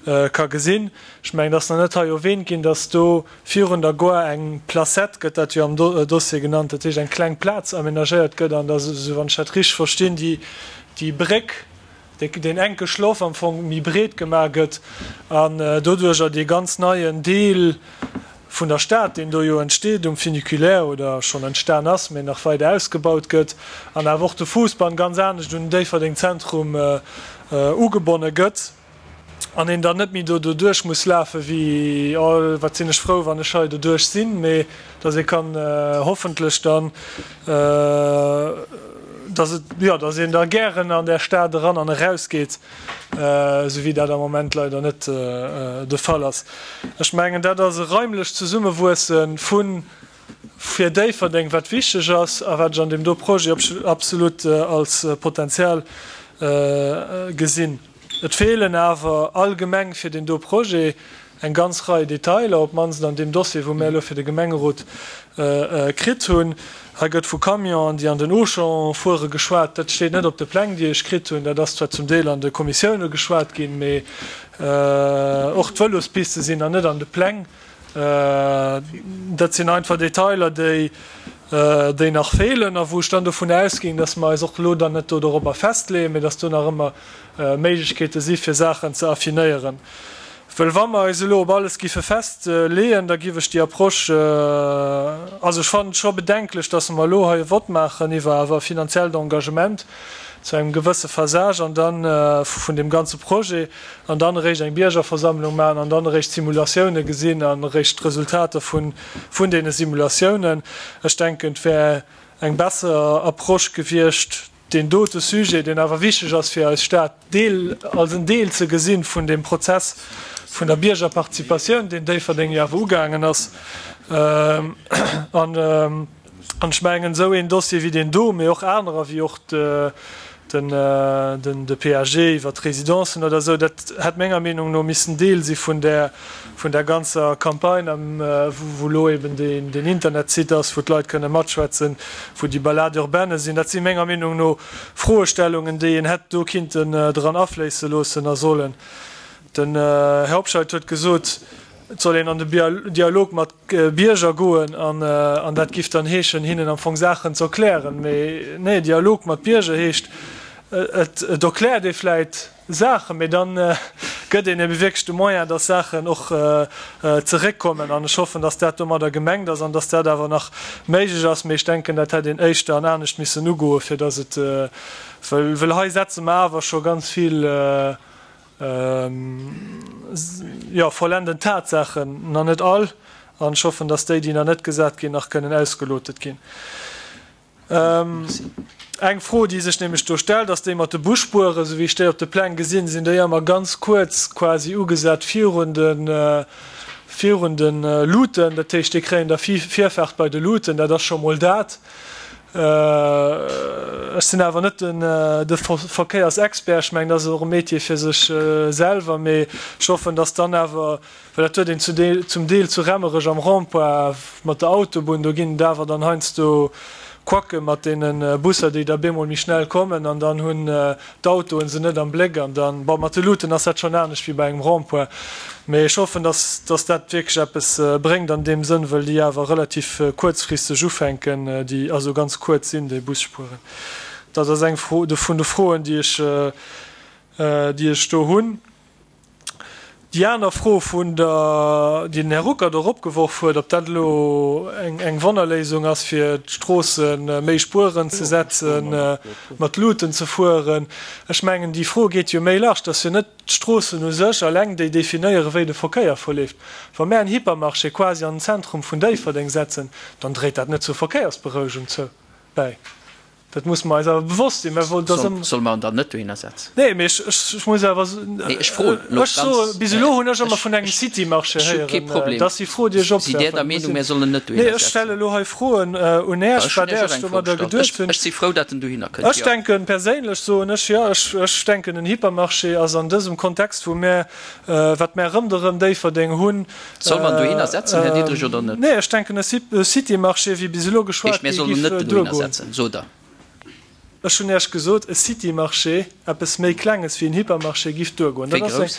ka gesinn. Ech mengen, et ass nach net hei erwähnt ginn, dass do virun der Gare eng Placette, gëtt dat jo am Dossier genannt, dat heescht eng kleng Plaz aménagéiert gëtt an dass, esou wann ech dat richteg verstinn, déi, déi Bréck, deen enke Schloff am Fong méi breet gemaach gëtt an doduerjer dee ganz neien Deel vun der Stad, deen do jo entsteet um Funiculaire oder schonn entstan ass, mä nach weider ausgebaut gëtt, an awer och de Fuussbann ganz anescht un den Déifferdeng Zentrum ugebonne gëtt an een dann net méi do doduerch muss lafe wéi, oh wat sinn ech frou, wann ech hei doduerch sinn, mä dass ee kann hoffentlech dann, dass et, jo, dass een da gären an där Stad eran an erausgeet, esou wéi dat am Moment leider net de Fall ass. Ech mengen, dat ass e raimlecht Zesummewuesse vu fir Déifferdeng, wat wichteg ass a wat ech an deem do Projet absolut als Potenzial gesinn. Et feelen awer allgemeng fir deen do Projet eng ganz Rei Detailer, op d'mannst an deem Dossier, wou mir elo fir de Gemengerot kritt hunn. Hei gëtt vu Camionen, déi an den Auchan fuere geschwat. Dat steet net op de Pläng, déi ech kritt hunn. Dat ass zwar zum Deel an de Kommissioune geschwat ginn, mee och d'Vëlospiste sinn nach net an de Pläng. Dat sinn einfach Detailer, déi, déi nach feelen a wou ech dann dovun ausginn, dass mer eis och elo dann net do dorobber festleeën, mee dass do nach ëmmer Méiglechkeete si fir Saachen ze affinéieren. Well wa mer eis elo op alles giffe festleeën, da giff ech déi Approche, also ech fannen et scho bedenklech, dass mer elo hei e Vott maachen iwwer awer e finanziellt Engagement zu engem gewësse Phasage an dann vun deem ganze Projet an dann eréischt eng Biergerversammlung maachen an dann eréischt d'Simulatioune gesinn an eréischt d'Resultater vun deene Simulatiounen. Ech denken, et wär eng besser Approche gewiescht, deen dote Sujet, deen awer wichteg ass fir eis Stad, Deel, als en Deel ze gesinn vun deem Prozess vun der Biergerparticipatioun, deen Déifferdeng jo awer ugaangen ass. An ech mengen, esou een Dossier wéi deen do, mee och anerer, wéi och den de P A G iwwert d'Residencen oder esou, dat hätt menger Meenung no missen Deel si vun där vun der ganzer Campagne, wou elo eben deen Internetsite ass, wou d'Leit kënne matschwätzen, wou déi Balade urbaine sinn. Dat si menger Meenung no Froestellungen, déi een hätt do kinnten dran afléisse loossen a sollen. Den Här Hobscheit huet gesot, et soll een an de Dialog mat Bierger goen an dat giff dann heeschen, hinnen am Fong Saachen ze erklären. Mee nee, Dialog mat Bierger heescht, et erkläert ee vläit Saachen, mee dann gëtt een ebe wierklech de Moyen, dass Saachen och zeréckkommen. An ech hoffen, dass dat domadder gemengt ass an dass dat awer nach méiglech ass. Mee ech denken, dat hätt een éischter an anescht missen ugoen, fir dass et, well hei setze mer awer scho ganz vill, jo, vollenden Tatsaachen, nach net all, an ech hoffen, dass déi, déi nach net gesat ginn, nach kënnen ausgelotet ginn. Eng Fro, déi sech nämlech do stellt, ass déi mat de Busspueren. Esou wéi ech déi op de Pläng gesinn, sinn déi ëmmer ganz kuerz quasi ugesat virun de, virun de Luuten. Dat heescht, déi kréien da Virfaart bei de Luuten. Dat ass scho mol dat. Ech sinn awer net den de Verkéiersexpert, ech mengen, dat ass och e Métier fir sech selwer, mee ech hoffen, dass dann awer, well dat huet een zu Deel, zum Deel zu Remmerech am Rond-point mat der Autobunn, do ginn et awer dann heiansdo Quacke mat deene Busser, déi da bemol méi schnell kommen an dann hunn d'Autoen se net am Bléck an dann, bon, mat de Luuten ass dat schonn anescht wéi bei engem Rond-point, mee ech hoffen, dass, dass dat wierklech eppes bréngt an deem Sënn, wëll déi awer relativ kuerzfristeg ufänken, déi also ganz kuerz sinn, déi Busspuren. Dat ass eng Fro vun de Froen, déi ech, déi ech do hunn. Déi aner Fro vun der, déi den Här Ruckert och opgeworf huet, ob dat elo eng, eng Wonnerléisung ass, fir d'Stroosse méi Spueren ze setzen, mat Luuten ze fueren. Ech mengen, déi Fro geet jo méi large. Et ass jo net d'Stroossen u sech alleng, déi definéieren, wéi de Verkéier verleeft. Wa mär en Hypermarché quasi an den Zentrum vun Déifferdeng setzen, dann dréit dat net zur Verkéiersberouegung zou bäi. Dat musse mer eis awer bewosst sinn. Mä dass ëm. Solle mer en dann net dohinner setzen? Nee, mee ech, ech muss awer. Nee, ech froen elo Ech soe, ganz. bis elo hunn ech ëmmer vun engem City-Marché Ech hu kee héieren. Problem. Dat ass déi Fro, déi ech Sidd Där der opwerfen. Meenung, mir sollen en net Nee, dohinner ech stelle setzen? elo hei Froen un Äech, Ech hunn wat Iech och Äech eng Fro domadder gestallt. geduecht Ech, hunn. ech si frou, datt en dohinner kënnt, Ech jo. denken perséinlech, soen ech, jo, ech, ech denken, en Hypermarché ass an dësem Kontext, wou mär, wat mär rëmderëm Déifferdeng hunn, Soll mer en dohinner setzen, Här Diderich, oder net? Nee, ech denken, e City-Marché, wéi bis elo Heescht, geschwat mir gi, sollen en giff net dohinner duergoen. setzen, sot Der? Ech hunn Iech gesot, e City-Marché, eppes méi Klenges wéi en Hypermarché, giff duergoen. Wéi Dat ass eng, grouss?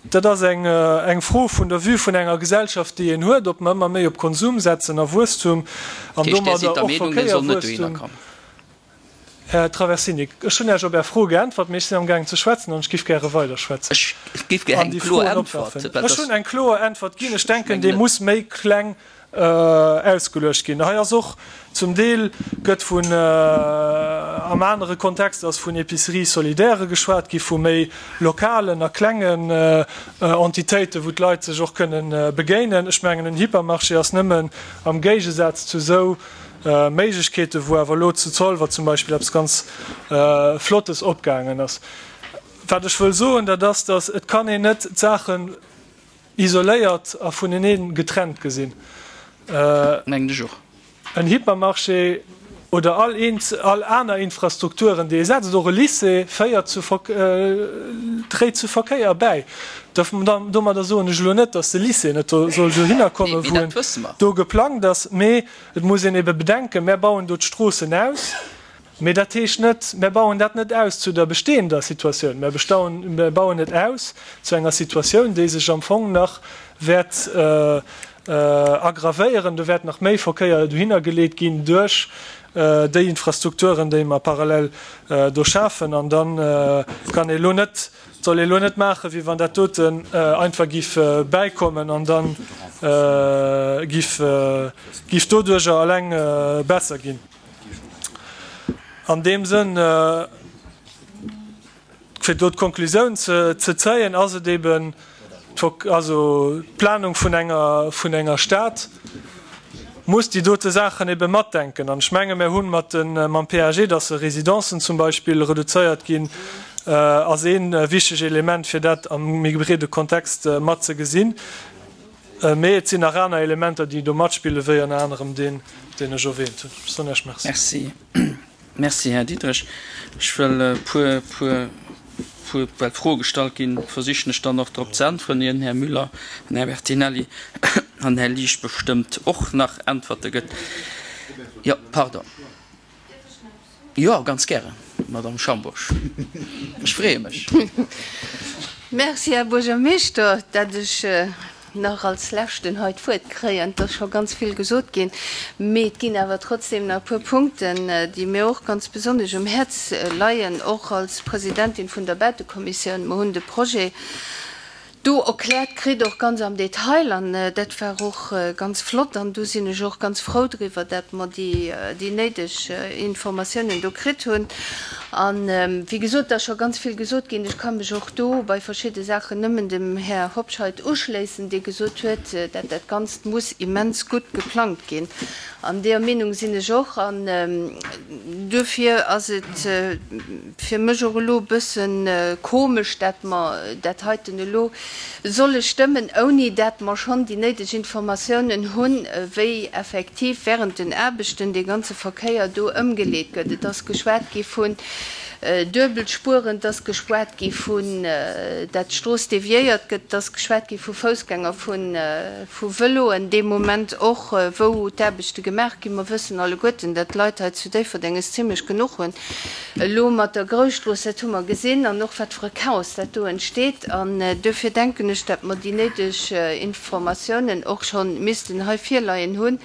dat ass eng, eng Fro vun der Vue vun enger Gesellschaft, déi een huet, ob mer ëmmer méi op Konsum setzen a Wuesstum an Dat heescht, Där sidd domadder der och Meenung, dee soll net dohinner Verkéierwuesstum. kommen? Här Traversini, ech hunn Iech op Är Fro geäntwert, mee ech sinn amgaangen ze schwätzen an ech giff gäre weiderschwätzen Ech giff gär an eng déi kloer Froen Äntwert, opwerfen. well Ech dass. hunn eng kloer Äntwert ginn. Ech Ech denken, mengen déi net. muss méi kleng ausgeluecht ginn. Hei ass och zum Deel gëtt vun, am anere Kontext ass vun Épiceries solidaires geschwat gi, vu méi lokalen a klengen Entitéiten, wou d'Leit sech och kënnen begéinen. Ech mengen, en Hypermarché ass nëmmen am Géigesaz zu esou Méiglechkeeten, wou awer elo zu Zolwer zum Beispill eppes ganz Flottes opgaangen ass. Wat ech wëll soen, dat ass, datt et kann een net d'Saachen isoléiert a vunenee getrennt gesinn. Mengen ech och. En Hypermarché oder all all aner Infrastrukturen, déi ee setzt, och e Lycée, féiert zu dréit zu Verkéier bäi. Domadder soen ech elo net, datt de Lycée net do soll dohinner kommen, wou en do geplangt ass, mee et muss een ebe bedenken, Mär bauen do d'Stroossen aus, Mee dat heescht net, mär bauen dat net aus zu der bestehender Situatioun, mär mär bauen et aus zu enger Situatioun, déi sech am Fong nach wäert aggravéieren. Do wäert nach méi Verkéier dohinner geleet ginn duerch déi Infrastrukturen, déi mer parallel do schafen. An da kann ee elo net, soll ee elo net maachen, wéi wann dat doten einfach giff bäikommen an da giff giff doduerjer alleng besser ginn. An deem Sënn, fir do d'Konklusioun ze zéien, ass et eben also d'Planung vun enger, vun enger Stad muss déi dote Saachen ebe matdenken. An ech menge mir hunn mat de, mam P A G, dass se Residencen zum Beispill reduzéiert ginn, ass ee wichteg Element, fir dat am méi breede Kontext mat ze gesinn. Mee et sinn nach aner Elementer, déi do matspillen, wéi ënner anerem deen, deen ech erwähnt hunn. Ech soen Iech Merci. Merci. Merci, Här Diderich. Ech wëll e puer, puer, puer, well Froe gestallt ginn, versichen ech dann och drop ze äntweren, ier den Här Müller an Här Bertinelli an Här Liesch bestëmmt och nach Äntwerte gëtt. Jo, pardon. Jo, ganz gären, Madame Schambourg. Ech freeë mech. Merci, Här Buergermeeschter, dat ech nach als Leschten hei d'Wuert kréien. Et ass scho ganz vill gesot ginn, mee et ginn awer trotzdem nach e puer Punkten, déi mir och ganz besonnesch um Häerz leien, och als Presidentin vun der Bautekommissioun. Mer hunn de Projet do erkläert kritt, och ganz am Detail, an dat war och ganz flott. An do sinn ech och ganz frou driwwer, dat mer déi néideg Informatiounen do kritt hunn. An, wéi gesot, et ass scho ganz vill gesot ginn. Ech ka mech och do bei verschidde Saachen nëmmen dem Här Hobscheit uschléissen, dee gesot huet, dat dat Ganzt muss immens gutt geplangt ginn. An deeër Meenung sinn ech och. An duerfir ass et fir mech och elo e bësse komesch, dat mer dat heiten elo solle stëmmen, ouni dat mer schonn déi néideg Informatiounen hunn, wéi effektiv während den Aarbechten dee ganze Verkéier do ëmgeleet gëtt. Et ass geschwat gi vun Duebelspueren, et ass geschwat gi vun, dat d'Strooss deviéiert gëtt, et ass geschwat gi vu Foussgänger, vu Vëloen, dee Moment och, wou d'Aarbechte gemaach ginn. Mer wëssen alleguerten, dat d'Leit hei zu Déifferdeng es zimlech genuch hunn elo mat der Grousstrooss, dat hu mer gesinn, an och wat fir e Chaos dat do entsteet. An duerfir denken ech, dat mer déi néideg Informatiounen och scho missten hei virleien hunn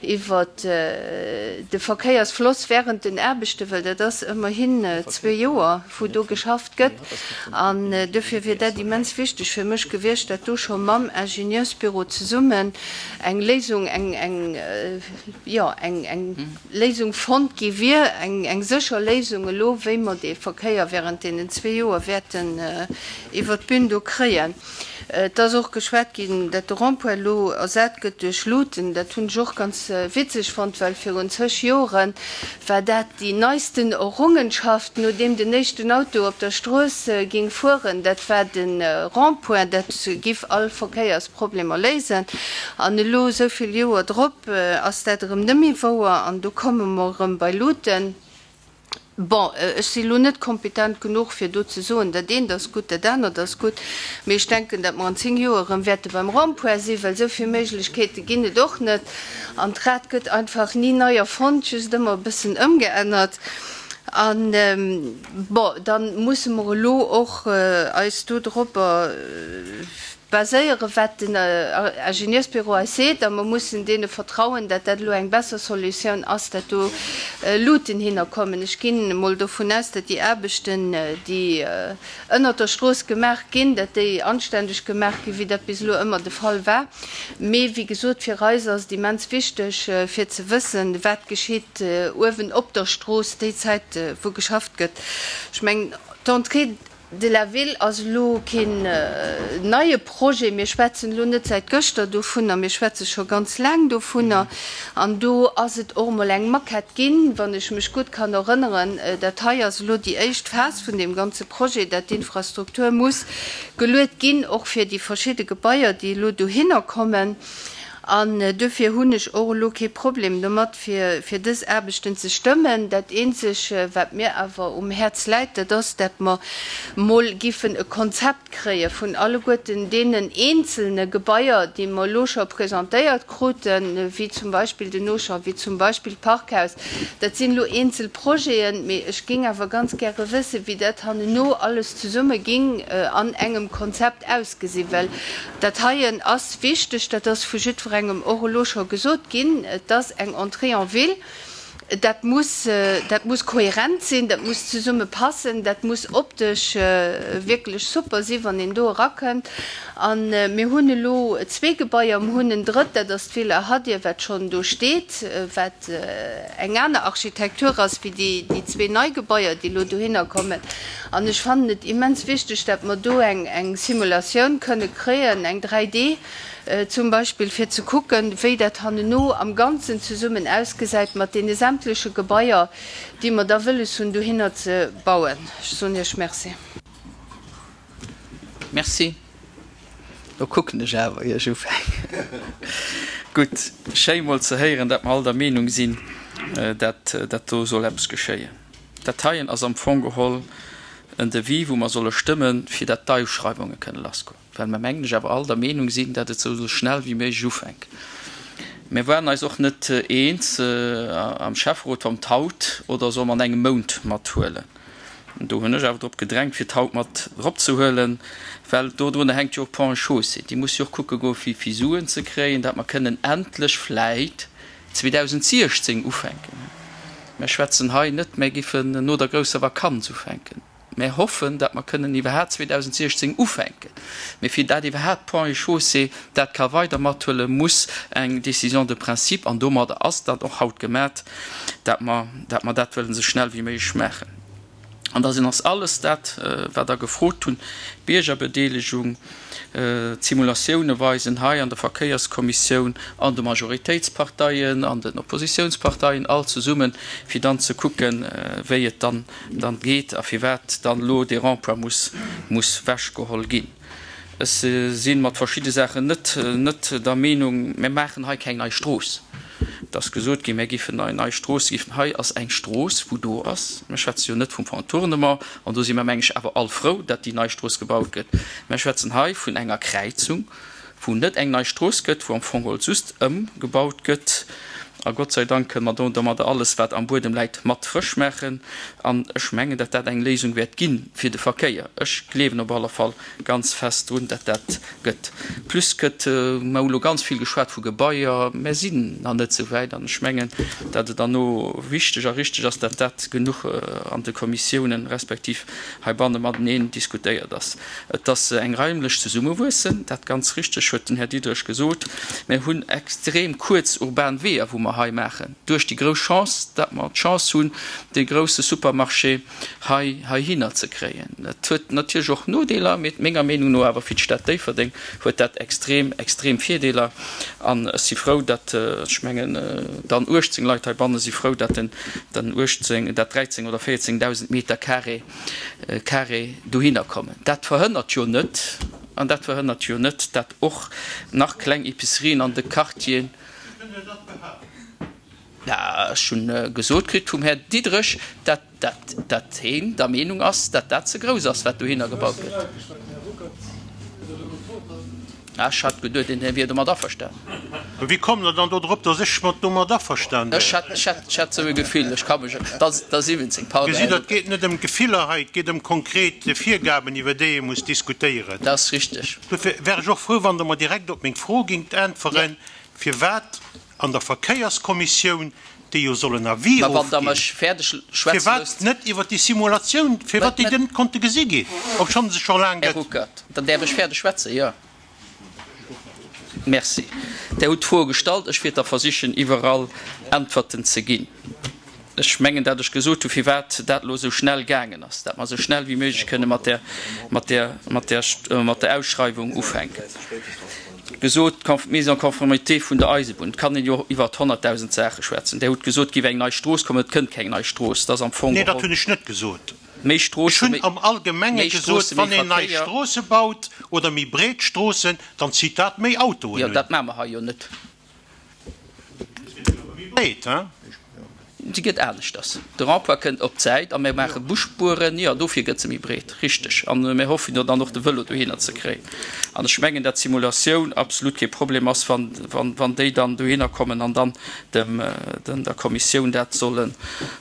iwwert de Verkéiersfloss während den Aarbechten, well dat ass ëmmerhin zwee Joer, wou do geschafft gëtt. An duerfir wier dat immens wichteg fir mech gewiescht, dat do scho mam Ingenieursbüro zesummen eng Léisung, eng, eng, jo, eng, eng Léisung fonnt gi wier, eng, eng sécher Léisung elo, wéi mer dee Verkéier während deenen zwee Joer wäerten iwwert d'Bün do kréien. Et ass och geschwat ginn, dat de Rond-point elo ersat gëtt duerch Luuten. Dat hunn ech och ganz witzeg fonnt, well virun zeg Jore war dat déi neisten Errungenschaft, nodeem den éischten Auto op der Strooss ging fueren. Dat war de Rond-point, dat giff all Verkéiersproblemer léisen. An elo, esou vill Joer drop, ass dat erëm net méi wouer an do komme mer erëm bei Luuten. Bon, ech si lo net kompetent genuch, fir do ze soen, dat eent ass gutt, dat anert ass gutt, mee ech denken, datt mer an zéng Joer erëm wäerte beim Rond-point sinn, well esou vill Méiglechkeete ginn et och net. An d'Rad gëtt einfach ni nei erfonnt, just ëmmer e bëssen ëmgeännert. An, bon, da musse mer elo och eis do dropper baséieren, wat den Ingenieursbüro eis seet, a mer mussen deene vertrauen, dat dat elo eng besser Solutioun ass, dat do Luuten hinnerkommen. Ech ginn emol dovun aus, dat déi Aarbechten, déi ënnert der Strooss gemaach ginn, dat déi anständeg gemaach ginn, wéi dat bis elo ëmmer de Fall war. Mee wéi gesot, fir eis ass et immens wichteg, fir ze wëssen, wat geschitt uewen op der Strooss déi Zäit, wou geschafft gëtt. Ech mengen, d'Entrée de la Ville ass elo keen neie Projet. Mir schwätzen elo net säit gëschter dovunner, mir schwätze scho ganz laang dovunner. An do ass et och emol eng Maquette ginn, wann ech mech gutt kann erënneren. Dat hei ass elo déi éischt Phas vun deem ganze Projet, dat d'Infrastruktur muss geluet ginn, och fir déi verschidde Gebaier, déi elo dohinner kommen. An duerfir hunn ech och elo kee Problem domat, fir fir dës Aarbechten ze stëmmen. Dat Eenzeg, wat mir awer um Häerz läit, dat ass, dat mer mol giffen e Konzept kréie vun alleguerten deenen eenzelne Gebaier, déi mer elo scho presentéiert kruten, wéi zum Beispill den Auchan, wéi zum Beispill d'Parkhaus. Dat sinn elo eenzel Projeten, mee ech géing awer ganz gäre wëssen, wéi dat hanneno alles zesumme ging an engem Konzept ausgesinn, well dat heien ass wichteg, dat ass vu jiddwerengem och elo scho gesot ginn, et ass eng Entrée en ville, dat muss, dat muss kohärent sinn, dat muss zesumme passen, dat muss optesch wierklech super sinn, wann een do erakënnt. A mir hunn elo zwee Gebaier, mir hunn en drëtt, dat ass d'Villa Hadir, wat schonn do steet, wat eng aner Architektur ass wéi déi, déi zwee nei Gebaier, déi elo dohinner kommen. An ech fannen et immens wichteg, datt mer do eng, eng Simulatioun kënne kréien, eng dräi D zum Beispill, fir ze kucken, wéi dat hanneno am Ganzen zesummen ausgesäit mat deene sämtleche Gebaier, déi mer da wëlles hunn, dohinner ze bauen. Ech soen Iech Merci. Merci. Lo kucken ech awer, ier ech ufänken. Gutt, schéi mol ze héieren, dat mer all der Meenung sinn, dat dat do soll eppes geschéien. Dat heien ass am Fong geholl en Devis, wou mer solle stëmmen, fir dat d'Ausschreiwunge kënne lassgoen, well mer, mengen ech, awer all der Meenung sinn, dat et soll esou schnell wéi méiglech ufänken. Mir waren eis och net eens am Schäfferot, wa mer d'haut oder solle mer an engem Mount mathuelen. Do hunn ech awer drop gedrängt, fir d'haut mat eropzehuelen, well dodrunner hänkt jo och Ponts et Chaussées. Déi musse jo och kucke goen, fir fir Suen ze kréien, dat mer kënnen endlech vläit zweedausentsiechzéng ufänken. Mer schwätzen hei net, mer giffen no der grousser Vakanz ufänken. Mer hoffen, datt mer kënnen iwwerhaapt zweedausentsiechzéng ufänken. Mee fir dat iwwerhaapt Ponts et Chaussées dat ka weider mathuelen, muss eng Décision de principe, an domadder ass dat och haut gemat, dat mer, dat mer dat wëllen esou schnell wéi méiglech maachen. An da sinn ass alles dat, wat Der gefrot hunn, d'Biergerbedeelegung, d'Simulatioune weisen hei an der Verkéierskommissioun, an de Majoritéitsparteien, an den Oppositiounsparteien, all zesummen, fir dann ze kucken, wéi et dann dann geet a firwat dann elo dee Rond-point muss muss wechgeholl ginn. Ech si mat verschidde Saachen net, net der Meenung, mir maachen hei keng nei Strooss. Et ass gesot ginn, mir géifen eng nei Strooss giffen. Hei ass eng Strooss, wou do ass. Mir schwätze jo net vum Contournement, an do si mer, meng ech, awer all frou, datt déi nei Strooss gebaut gëtt. Mir schwätzen hei vun enger Kräizung, wou net eng nei Strooss gëtt, wou am Fong geholl just ëmgebaut gëtt. A Gott sei Dank kënne mer do domadder alles, wat am Buedem läit, mat frësch maachen. An ech mengen, datt dat eng Léisung wäert gi fir de Verkéier. Ech gleewen op alle Fall ganz fest drun, datt dat gëtt. Plus gëtt, mer hu lo ganz vill geschwat vu Gebaier, mer sinn nach net esou wäit. An ech mengen, datt et dann och wichteg a richteg ass, datt dat genuch an de Kommissiounen respektiv heibanne mateneen diskutéiert ass. Et ass eng raimlech Zesummewuessen, dat ganz richteg huet den Här Diderich gesot. Mir hunn extrem kuerz urban Weeër, wou mer hei maachen. Duerch déi grouss Chance, datt mer d'Chance hunn, dee grousse Supermarché hei heihinner ze kréien. Dat huet natierlech och Nodeeler, mee menger Meenung no awer fir d'Stad Déifferdeng huet dat extrem, extrem Virdeeler. An ech si frou, datt, ech mengen, dann uechtzéng Leit heibanne si frou, datt den, den uechtzéng, dat dräizéng oder véierzéngdausend Meter carré, carré dohinner kommen. Dat verhënnert jo net, an dat verhënnert jo net, datt och nach kleng Epicerien an de Quartieren, Ja, ech hunn gesot kritt vum Här Diderich, datt, datt, datt heen der Meenung ass, datt dat ze grouss ass, wat dohinner gebaut gëtt. Ech hat geduet, den Här wier domat averstan. Wéi kommt Der dann do drop, datt ech mat domat averstan wär? Ech hat, ech hat, ech hat esou e Gefill, ech ka mech, da, da siwwenzéng, pardon, Gesitt Här Der, et Ruckert. geet net ëm Gefiller hei, et geet ëm konkret Virgaben, iwwer déi ee muss diskutéieren. Dat ass richteg. Dofir wär ech och frou, wann Der mer direkt op meng Fro gingt äntweren, firwat an der Verkéierskommissioun, déi jo soll en Avis Mä wann Der ofginn, mech fäerdeg schwätze firwat loosst. net iwwer déi Simulatioun, firwat déi Mä, net konnte gesi ginn, obschonn se scho laang Här gëtt. Ruckert, dann däerf ech fäerdeg schwätzen, jo? Merci. Der hutt d'Froe gestallt, ech wäert da versichen, iwwerall Äntwerten ze ginn. Ech mengen, dat ech gesot hu firwat dat elo esou schnell gaangen ass, dat mer esou schnell wéi méiglech kënne mat där, mat där, mat där, mat der Ausschreiwung ufänken. Gesot, d'Mise en conformité vun der Eisebunn, et kann een jo iwwert honnertdausend Saache schwätzen. Der hutt gesot, et géif eng nei Strooss kommen, et kënnt keng nei Strooss, et ass am Fong Nee, dat geholl. hunn ech net gesot. Méi Ech Stroosse, hunn méi, am Allgemenge méi gesot, Stroosse, méi wann een nei Verkéier. Stroosse baut oder méi breet Stroossen, dann zitt dat méi Autoen Jo, un. dat maache mer hei jo net. Se gëtt awer méi breet, hein? Se gëtt aneschters. De Rond-point kënnt op d'Säit a mir maache Busspueren. Jo, dofir gëtt se méi breet, richteg. A mir hoffen jo dann och de Vëlo dohinner ze kréien. An ech mengen, dat d'Simulatioun absolut kee Problem ass, wann, wann, wann déi dann dohinner kommen an dann dem, den, der Kommissioun dat sollen,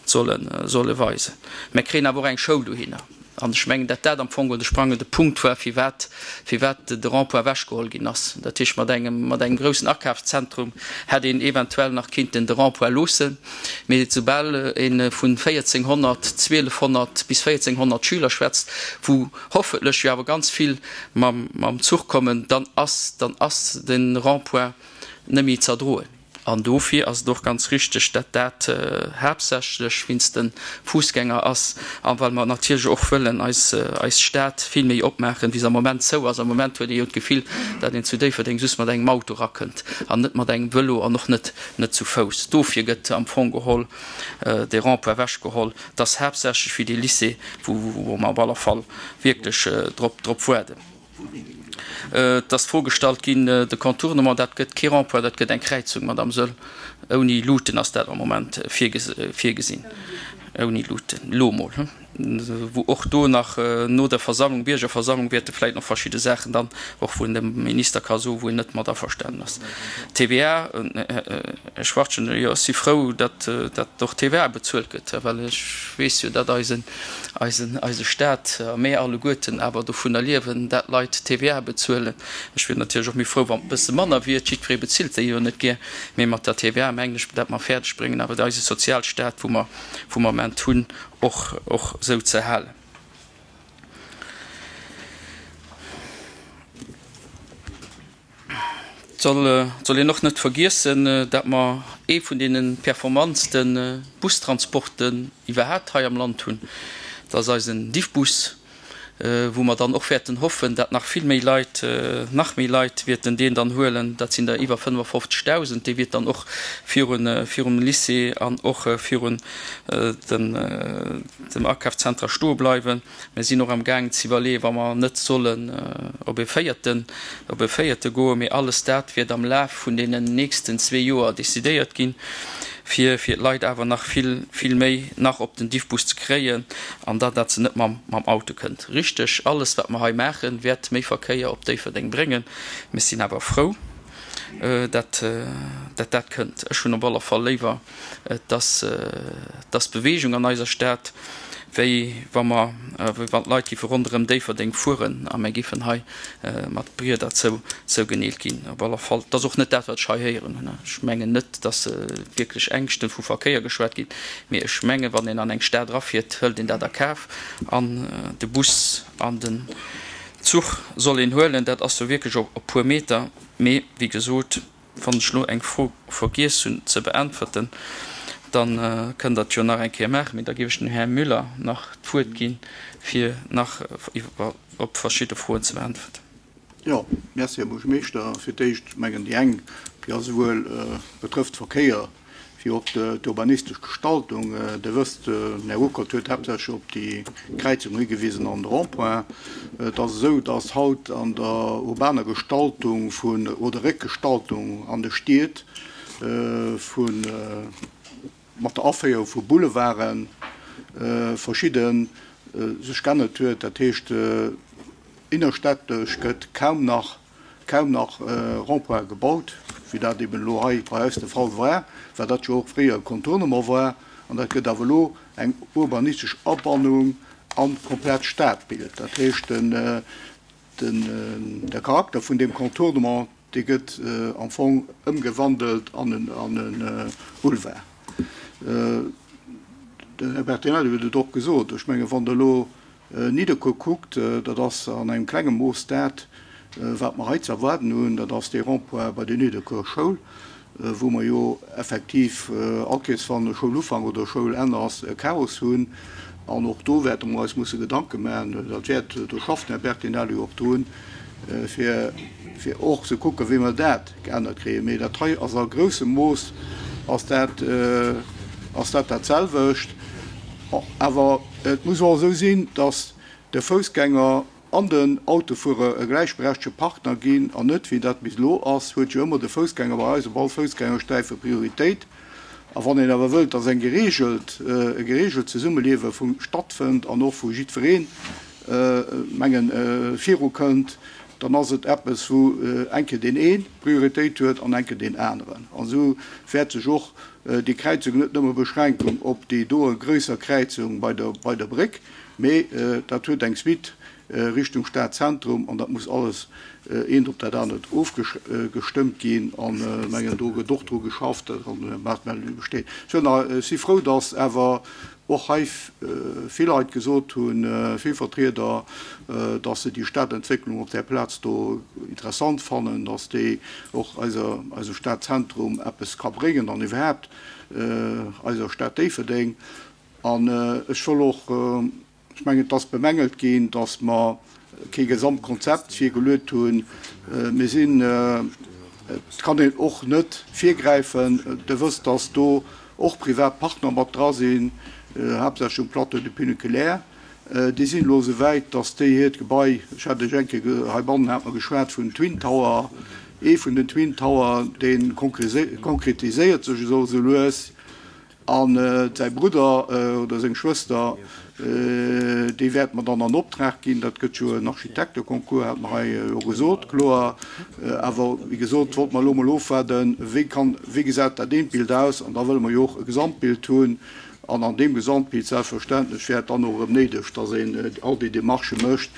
sollen, solle weisen. Mir kréien awer och eng Schoul dohinner. An ech mengen, dat dat am Fong de sprangende Punkt war, firwat, firwat de Rond-point ewechgeholl ginn ass. Dat heescht, mat engem, mat engem groussen Akafszentrum hätt een eventuell nach kinnten de Rond-point loossen. Mee soubal ee vun véierzénghonnert, zwielefhonnert bis véierzénghonnert Schüler schwätzt, wou hoffentlech jo awer ganz vill mam, mam Zuch kommen, dann ass, dann ass de Rond-point net méi z'erdroen. An dofir ass et och ganz richteg, dat dat haaptsächlech wéinst de Fussgänger ass a well mer natierlech och wëllen eis eis Stad vill méi opmaachen, wéi se am Moment zou ass. Am Moment huet ee jo d'Gefill, dat een zu Déifferdeng just mat engem Auto erakënnt an net mat engem Vëlo an och net net zu Fouss. Dofir gëtt am Fong geholl dee Rond-point ewechgeholl. Dat ass haaptsächlech fir dee Lycée, wou wou mer op aller Fall wierklech drop drop waarden. Et ass d'Fro gestallt ginn, de Contournement, dat gëtt kee Rond-point, dat gëtt eng Kräizung, Madame Söll. Ouni Luuten ass dat am Moment virgesinn. Ouni Luuten, elo mol. Wou och do nach no der Versammlung, Biergerversammlung, wäerte vläicht nach verschidde Saachen dann och vun dem Minister ka soen, wou en net mat averstanen ass. T V A, Här Schwachtgen, jo, ech si frou, datt datt och T V A bezuelt gëtt, well ech weess jo, datt eisen, eisen, eise Staat a mir alleguerten awer dovunner liewen, dat Leit T V A bezuelen. Ech wier natierlech och méi frou, wann et e bësse manner wier, jiddweree bezilt déi jo net gär, mee mat der T V A mengen ech, dat mer fäerdeg bréngen, awer eise Sozialstaat, wou mer, wou mer am Moment hunn, och, och esou ze halen. Et soll, soll een och net vergiessen, dat mer ee vun deene performantste Bustransporten iwwerhaapt hei am Land hunn. Dat ass eisen Diffbus. wou mer dann och wäerten hoffen, dat nach vill méi Leit, nach méi Leit wäerten deen dann huelen, dat sinn der iwwer fënnefafofzegdausend, dee wiert dann och virun, virum Lycée an och virun den, dem Akafszenter stoe bleiwen. Mir sinn och am gaangen ze iwwerleeën, wa mer net sollen op e véierten, op e véierte goen, mee alles dat wäert am Laf vun deenen nächsten zwee Joer decidéiert ginn, fir fir d'Leit awer nach vill, vill méi nach op den Diffbus ze kréien an da dat se net mam mam Auto kënnt. Richteg, alles wat mer hei maachen, wäert méi Verkéier op Déifferdeng bréngen. Mir sinn awer frou, dat dat dat kënnt. Ech hunn op alle Fall léiwer, dass dass Bewegung an eiser Stad, wéi wa mer, wéi wann d'Leit géife ronderëm Déifferdeng fueren a mir géifen hei mat Brieder zou, zougeneelt ginn. Op alle Fall, dat ass och net dat, wat ech hei héieren hunn. Ech mengen net, dass wierklech Ängschte vu Verkéier geschwat ginn, mee ech mengen, wann een an eng Stad erafiert, hëlt een dat a Kaf an de Bus an den Zuch soll een huelen. Dat ass jo wierklech op e puer Meter. Mee wéi gesot, wann ech elo eng Fro vergiess hunn ze beäntwerten, da kënnt Der et jo nach eng Kéier maachen. Mee da géif ech dem Här Müller nach d'Wuert ginn, fir nach iwwer op verschidde Froen ze beäntwerten. Jo, merci, Här Buergermeeschter. Fir d'éischt mengen déi eng, déi ass esouwuel betrëfft Verkéier wéi och d'urbanistesch Gestaltung. Der wësst, den Här Ruckert huet haaptsächlech op déi Kräizung higewisen an de Rond-point. Et ass esou, dass haut an der urbaner Gestaltung vun, oder Réckgestaltung an de Stied vu mat der Aféierung vu Boulevarde verschidde sech geännert huet. Dat heescht, innerstädtesch gëtt kaum nach, kaum nach Rond-pointe gebaut, wéi dat eben elo hei bei eis de Fall war, well dat jo och fréier e Contournement war. An dat gëtt awer elo eng urbanistesch Abannung an d'komplett Stadbild. Dat heescht, den, den, de Charakter vun deem Contournement, dee gëtt am Fong ëmgewandelt an e Boulevard. Den Här Bertinelli huet et och gesot. Ech mengen, wann Der elo Nidderkuer kuckt, dat ass an engem klenge Mooss dat, wat mer hei ze erwaarden hunn, dat ass dee Rond-point bei der Nidderkuer Schoul, wou mer jo effektiv all Kees, wann Schoulufank oder Schoulenn ass, e Chaos hunn. An och do wäerte mer eis musse Gedanke maachen, dat wäert, do schafft den Här Bertinelli och drun, fir fir och ze kucken, wéi mer dat geännert kréien. Mee dat hei ass a groussem Mooss ass dat ass dat datselwecht. Awer et muss och esou sinn, dass de Foussgänger an den Autofuerer e gläichberechtege Partner ginn an net, wéi dat bis elo ass, huet jo ëmmer de Foussgänger bei eis op all Foussgängersträife Prioritéit. A wann een awer wëllt, dass eng geregelt, e geregelt Zesummeliewe vu stattfënnt an och wou jiddwereen, mengen, virukënnt, dann ass et eppes, wou eng Kéier deen ee Prioritéit huet an eng Kéier deen aneren. An esou wäert sech och déi Kräizung net nëmme beschränken op déi doe grösser Kräizung bei der, bei der Bréck, mee dat huet eng Suite Richtung Stadzentrum an dat muss alles eent op dat anert ofgestëmmt ginn. An mengen, do gëtt och dru geschafft, an Maartmeldung besteet. Ech si frou, dass awer och hei vill Leit gesot hunn, vill Vertrieder, dass se déi Stadentwécklung op där Plaz do interessant fannen, dass déi och eiser, eisem Stadzentrum eppes ka bréngen an iwwerhaapt eiser Stad Déifferdeng. An ech wëll och, ech mengen, et ass bemängelt ginn, dass mer kee Gesamtkonzept virgeluet hunn. Mir sinn, et kann een och net virgräifen. Der wësst, dass do och privat Partner mat dra sinn, haaptsächlech um Plateau du Funiculaire. Déi sinn elo esou wäit, dass déi hiert Gebai, ech hat lech eng Kéier heibannen, hat mer geschwat vun Twin Tower, ee vun den Twin Tower, dee konkretiséiert sech esou lues. A säi Brudder oder seng Schwëster, déi wäerte mer dann an Optrag ginn. Dat gëtt jo en Architekteconcours, hat mer hei jo gesot, kloer. Awer wéi gesot, wollte mer elo emol ofwaarden, wéi kann, wéi gesäit dat eent Bild aus? An da wëlle mer jo och e Gesamtbild hunn. An an deem Gesamtbild selbstverständlech wär et dann och erëm néideg, dass een all déi Démarchë mécht,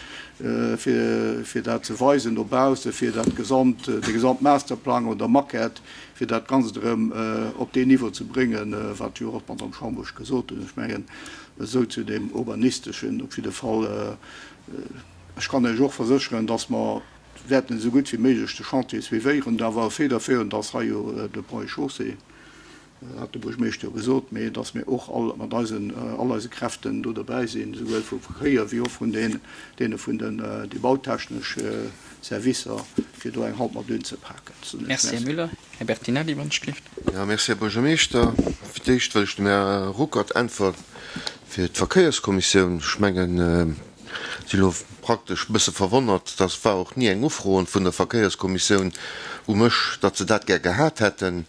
fir, fir dat ze weisen no baussen, fir dat Gesamt, de Gesamtmasterplang oder Maquette, fir dat Ganzt erëm op deen Niveau ze bréngen, wat jo och d'Madame Schambourg gesot huet. Ech mengen, esou zu deem Urbanisteschen op jidde Fall. Ech kann Iech och versécheren, dass mer wäerten esou gutt wéi méiglech de Chantier suivéieren. Awer federführend ass hei jo de Ponts et Chaussées. hat de Buergermeeschter jo gesot, mee dass mir och all mat eisen, all eise Kräften do dobäi sinn, esouwuel vum Verkéier wéi och vun den, deene vun den, déi bautechnesch Servicer, fir do eng Hand mat unzepaken. Merci, Här Müller. Här Bertinelli, wann ech gelift. Jo, merci, Här Buergermeeschter. Fir d'éischt wëll ech dem Här Ruckert äntweren fir d'Verkéierskommissioun. Ech mengen, si elo praktesch e bësse verwonnert, dass war och ni eng Ufro vun der Verkéierskommissioun u mech, datt se dat gär gehat hätten.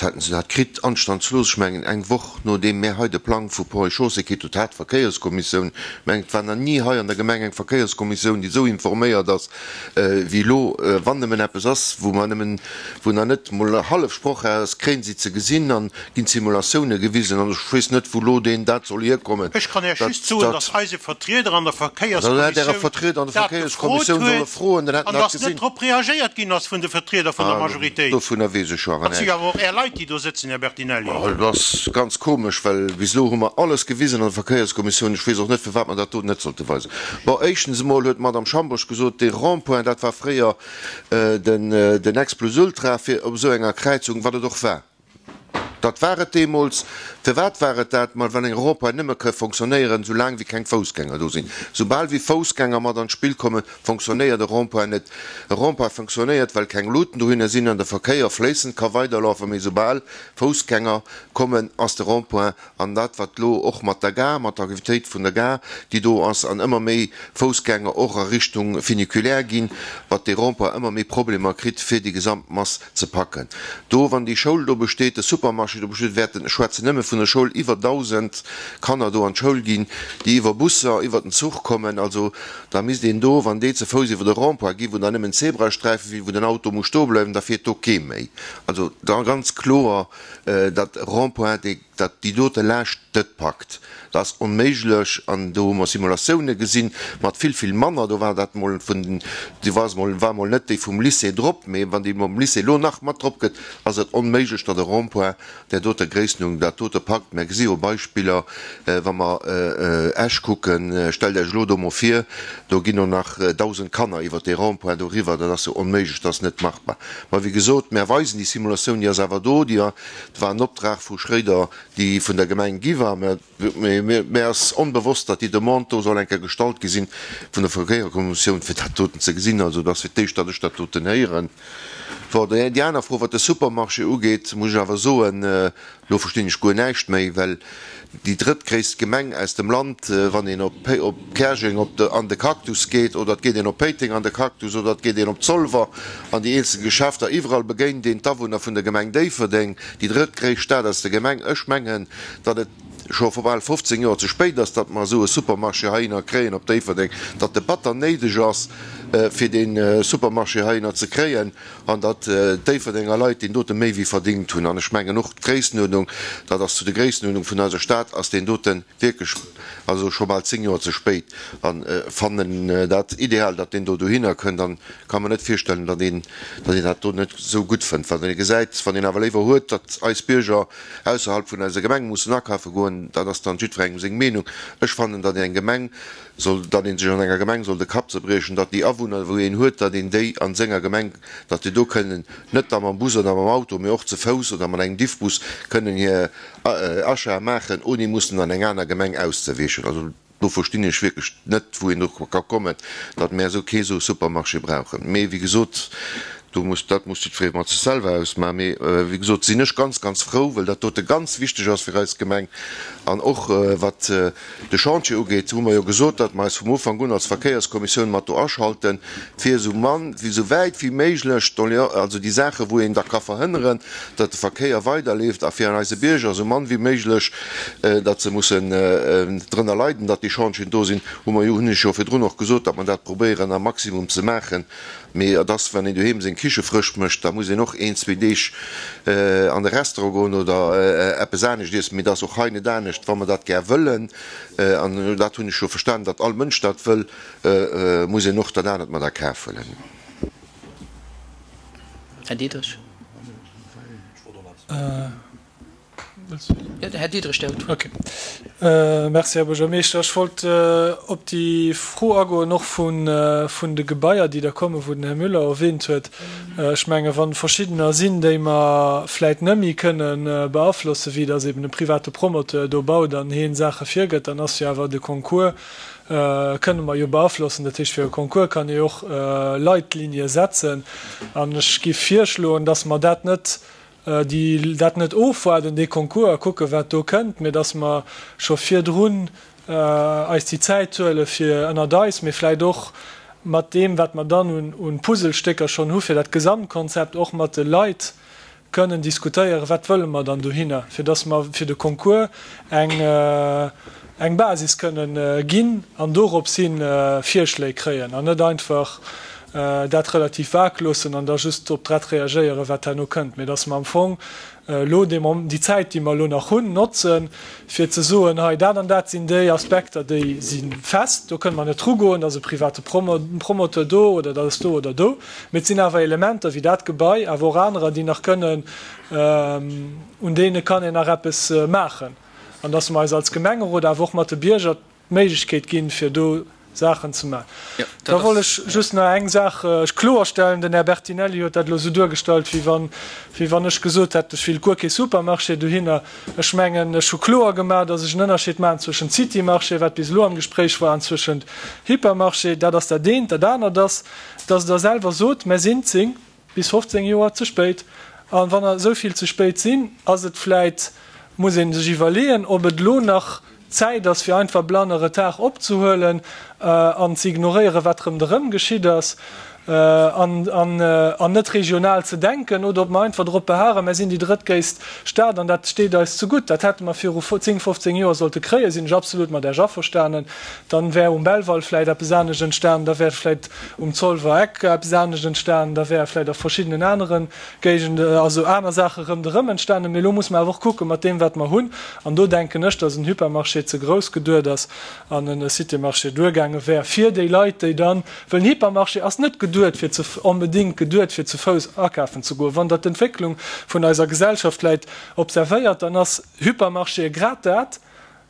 Hätten se dat kritt, anstandslos, ech mengen eng Woch nodeem mär hei de Plang vu Ponts et Chaussées kritt hutt, hat d'Verkéierskommissioun, ech mengen et war nach ni hei an der Gemeng eng Verkéierskommissioun, déi esou informéiert ass wéi elo, wann nëmmen eppes ass, wou mer nëmmen, wou nach net mol hallef Sproch ass, kréien si ze gesinn an ginn d'Simulatioune gewisen an ech weess net, wou elo deen dat soll hierkommen. Ech kann Iech just soen, datt dass eise Vertrieder an der Verkéierskommissioun dat gefrot huet an dass net drop reagéiert ginn ass vun de Vertrieder vun der Majoritéit. Dovunner weess ech jo awer Dat si näischt. awer och Är Leit, déi do sëtzen, Här Bertinelli. Dat ass ganz komesch, well bis elo hu mer alles gewisen an der Verkéierskommissioun. Ech weess och net, firwat mer dat do net sollte weisen. Bon, éischtens emol huet d'Madame Schambourg gesot, dee Rond-point, dat war fréier den, den Ex plus ultra fir op esou enger Kräizung, wat et och war. Dat war et deemools. Firwat war et dat? Ma well eng Rond-point nëmme ka fonctionnéieren, soulaang wéi keng Foussgänger do sinn. Soubal wéi Foussgänger mat an d'Spill kommen, fonctionnéiert e Rond-point net. E Rond-point fonctionnéiert, well keng Luuten dohinner sinn an de Verkéier fléissend ka weiderlafen. Mee soubal Foussgänger kommen, ass de Rond-point an dat, wat elo och mat der Gare, mat der Aktivitéit vun der Gare, déi do ass, an ëmmer méi Foussgänger och a Richtung Funiculaire ginn, wat dee Rond-point ëmmer méi Problemer kritt, fir déi gesamt Mass ze packen. Do, wann déi Schoul do besteet, de Supermarché do besteet, wäerten, ech schwätzen nëmme vun der Schoul, iwwer dausend Kanner do an d'Schoul ginn, déi iwwer Busser, iwwer den Zuch kommen. Also da misst een do, wann déi ze Fouss iwwer de Rond-point ginn, wou dann nëmmen Zebrasträife sinn, wou den Auto muss stoe bleiwen, da fiert do kee méi. Also da ganz kloer, datt e Rond-point, dee datt déi dote Laascht net packt, dat ass onméiglech. An do hu mer Simulatioune gesinn mat vill, vill manner. Do war dat mol vun den, do war mol, war mol net déi vum Lycée drop, mee wann déi mam Lycée elo nach mat drop gëtt, ass et onméiglech, datt e Rond-point där doter Gréisstenung dat dote packt. Mer gesi jo Beispiller, wa mer Esch kucken, stellt Iech elo do mol vir, do ginn och nach dausend Kanner iwwert dee Rond-point doriwwer. Dat ass jo onméiglech, dat ass net machbar. Mä wéi gesot, mer weisen déi Simulatioun, déi ass awer do, déi war en Optrag vu Schréider, déi vun der Gemeng gi war. Mä mär ass onbewosst, datt déi Demande do soll eng Kéier gestallt gi sinn vun der Verkéierkommissioun, fir dat doten ze gesinn. Also et ass fir d'éischt, datt ech dat doten héieren. Bon, déi aner Fro, wat de Supermarché ugeet, muss ech awer soen, elo verstinn ech guer näischt méi, well déi drëttgréisst Gemeng aus dem Land, wann een op Käerjeng op de, an de Cactus geet, oder et geet een op Péiteng an de Cactus, oder et geet een op Zolwer an déi eenzel Geschäfter, iwwerall begéint een d'Awunner vun der Gemeng Déifferdeng, déi drëttgréisst Stad aus der Gemeng. Ech mengen, datt et scho vu bal fofzéng Joer ze spéit ass, datt mer esou e Supermarché heihinner kréien op Déifferdeng, datt e batter néideg ass, fir dee Supermarché heihinner ze kréien, an datt d'Déifferdenger Leit deen dote méi wéi verdingt hunn. An ech mengen och d'Gréissenuerdnung, dat ass zu de Gréissenuerdnung vun eiser Stad ass deen dote wierklech also scho bal zéng Joer ze spéit. An fannen dat ideal, datt deen do dohinner kënnt, an ka mer net virstellen, datt een, datt een dat do net esou gutt fënnt. Wann ee gesäit, wann een awer léiwer huet, datt eis Bierger ausserhalb vun eiser Gemeng mussen akafe goen, dat ass dann jiddwerengem seng Meenung. Ech fannen, datt een eng Gemeng soll, datt ee sech an enger Gemeng soll de Kapp zerbriechen, datt déi Awunner, wou een huet, datt een déi a senger Gemeng, datt déi do kënnen, net da mam Bus oder mam Auto, mee och ze Fouss oder mat engem Diffbus kënnen hir Achate maachen, ouni mussen an eng aner Gemeng auszeweechen. Also do verstinn ech wierklech net, wou een dru ka kommen, datt mär esou kee sou Supermarché brauchen. Mee wéi gesot, do muss, dat muss jiddweree mat sech selwer ausmachen. Mee wéi gesot sinn ech ganz, ganz frou, well dat dote ganz wichteg ass fir eis Gemeng. An och wat de Chantier ugeet, hu mer jo gesot, datt mer eis vum Ufank un als Verkéierskommissioun mat do aschalten, fir esou mann, esou wäit wéi méiglech d'Doléan, also déi Saache wou een da ka verhënneren, datt de Verkéier weiderleeft a fir an eise Bierger esou mann wéi méiglech, datt se mussen drënner leiden, datt déi Chantieren do sinn, hu mer jo, hunn ech jo virdrun och gesot, datt mer dat probéieren am Maximum ze maachen. Mee et ass, wann een doheem seng Kiche frësch mécht, da muss een och een, zwee Deeg an de Restaurant goen oder eppes anescht iessen. Mee et ass och hei net anescht, wa mer dat gär wëllen, an dat hunn ech jo verstanen, datt all Mënsch dat wëll, muss een och dat anert mat a Kaf huelen. Här Diderich. Jo, den Här Diderich, der huet d'Wuert. Okay. Merci, Här Buergermeeschter. Ech wollt op déi Fro agoen och vun de Gebaier, déi da kommen, wou den Här Müller erwähnt huet. Ech menge wa verschiddener sinn, déi mer vläit net méi kënne beaflossen, wéi datt eben e private Promoteur do baut an heen Saache virgëtt, dann ass jo awer de Concours, kënne mer jo beaflossen. Dat heescht, fir e Concours kann ee jo och Leitlinie setzen. An ech géif virschloen, datt mer dat net, déi dat net ofwaarden, dee Concours, a kucken, wat do kënnt, mee datt mer scho virdrun eis déi Zäit huele fir ënnert eis, mee vläicht och mat deem, wat mer dann un Puzzlestécker schonn hu fir dat Gesamtkonzept, och mat de Leit kënnen diskutéieren, wat wëlle mer dann dohinner, fir datt mer fir de Concours eng eng Basis kënnen ginn an dorops hi Virschléi kréien an net einfach dat relativ vag loossen an da just drop drett reagéieren, wat herno kënnt, mee datt mer am Fong elo dee Mom-, déi Zäit, déi mer elo nach hunn, notzen, fir ze soen, hei dat an dat sinn déi Aspekter, déi si fest, do kënne mer net drugoen, da ass e private Promo-, Promoteur do oder dat ass do oder do, mee et sinn awer Elementer wéi dat Gebai, awer och anerer, déi nach kënnen, un deene kann een nach eppes maachen an datt mer eis als Gemengerot, awer och mat de Bierger d'Méiglechkeet ginn, fir do Saachen ze maachen. Da wollt ech just nach eng Saach kloerstellen. Den Här Bertinelli huet dat elo esou duergestallt, wéi wann, wéi wann ech gesot hätt, ech wéilt guer kee Supermarché dohinner. Ech mengen, ech hu kloer gemaach, datt ech en Ënnerscheed maachen zwëschent City-Marché, wat bis elo am Gespréich war, an zwëschent Hypermarché. Dat ass dat eent. Dat anert ass, datt Der selwer sot, Mer sinn zéng bis fofzéng Joer ze spéit. A wann der esou vill ze spéit sinn, ass et vläit, muss ee sech iwwerleeën, ob et elo nach Zäit ass, fir einfach blann e Retard opzehuelen an ze ignoréieren, wat ronderëm geschitt ass, an net regional ze denken, oder ob mer einfach drop beharren, Mer sinn déi drëttgréisst Stad an dat steet eis zegutt. Dat hätte mer viru zéng, fofzéng Joer sollte kréien, sinn ech absolut mat Iech averstanen. Dann wär um Belval vläicht eppes anescht entstanen, da wär vläicht um Zolwer Eck eppes anescht entstanen, da wär vläicht a verschiddenen anere Géigenden, also aner Saache ronderëm entstanen. Mee elo muss mer awer och kucken, mat deem, wat mer hunn. An do denken ech, dass en Hypermarché ze grouss geduet ass an en Cité-Marché duergaange wär fir déi Leit, déi dann, well en Hypermarché ass net geduet fir ze, onbedéngt geduet fir ze Fouss akafen ze goen. Wann Der d'Entwécklung vun eiser Gesellschaft vläicht observéiert, dann ass Hypermarchéë grad dat,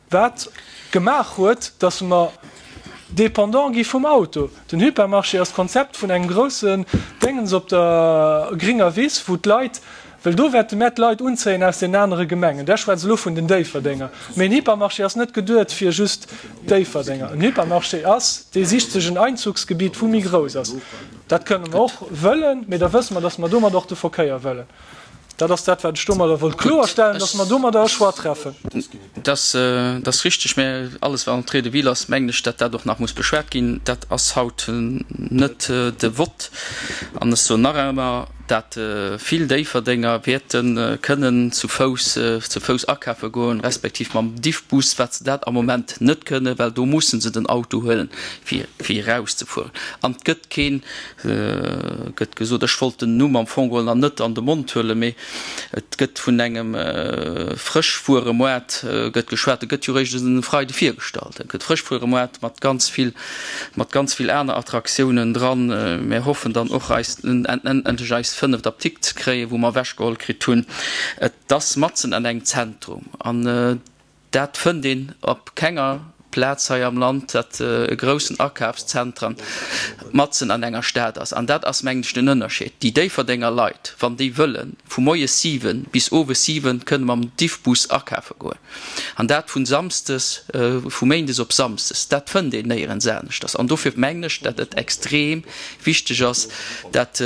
wat gemaach huet, dass mer dépendant gi vum Auto. Den Hypermarché ass d'Konzept vun engem groussen Déngens op der gringer Wiss, wou d'Leit, well do wäerte mär d'Leit unzéien aus deenen anere Gemengen, Der schwätzt elo vun den Déifferdenger, mee en Hypermarché ass net geduet fir just Déifferdenger. En Hypermarché ass, dee sicht sech en Einzugsgebiet, wou méi grouss ass. Dat kënne mer och wëllen, mee da wësse mer, dass mer domat och de Verkéier wëllen. Dat ass dat, wat ech domadder wollt kloerstellen, dass mer domadder e Choix treffen. Dat ass richtig, mä alles, wat Entrée de ville ass, mengen ech, dat dat och nach muss beschwat ginn. Dat ass haut net de Vott. An ech soen nach ëmmer, dat vill Déifferdenger wäerte kënnen zu Fouss, zu Fouss akafe goen, respektiv mam Diffbus, wat se dat am Moment net kënnen, well do musse se den Auto huelen, fir, fir erauszefueren. An et gëtt keen, gëtt gesot, ech wollt den Numm am Fong geholl nach net an de Mond huelen, mee et gëtt vun engem Frëschwueremoart gëtt geschwat, e gëtt jo eréischt e Freide virgestallt, e gëtt Frëschwueremoart mat ganz vill, mat ganz vill aner Attraktiounen dran. Mir hoffen dann och eis endlech eis fënneft Apdikt ze kréien, wou mer ewechgeholl kritt hunn. Et ass matzen an engem Zentrum an dat fënnt een op kenger Plaz hei am Land, datt e groussen Akafszentrum matzen an enger Stad ass. An dat ass, mengen ech, den Ënnerscheed. Déi Déifferdenger Leit, wann déi wëllen, vu moies siwen bis owes siwen kënne mam Diffbus akafe goen. An dat vu samsdes, vu méindes op samsdes. Dat fënnt een néierens aneschters. An dofir mengen ech, datt et extrem wichteg ass, datt,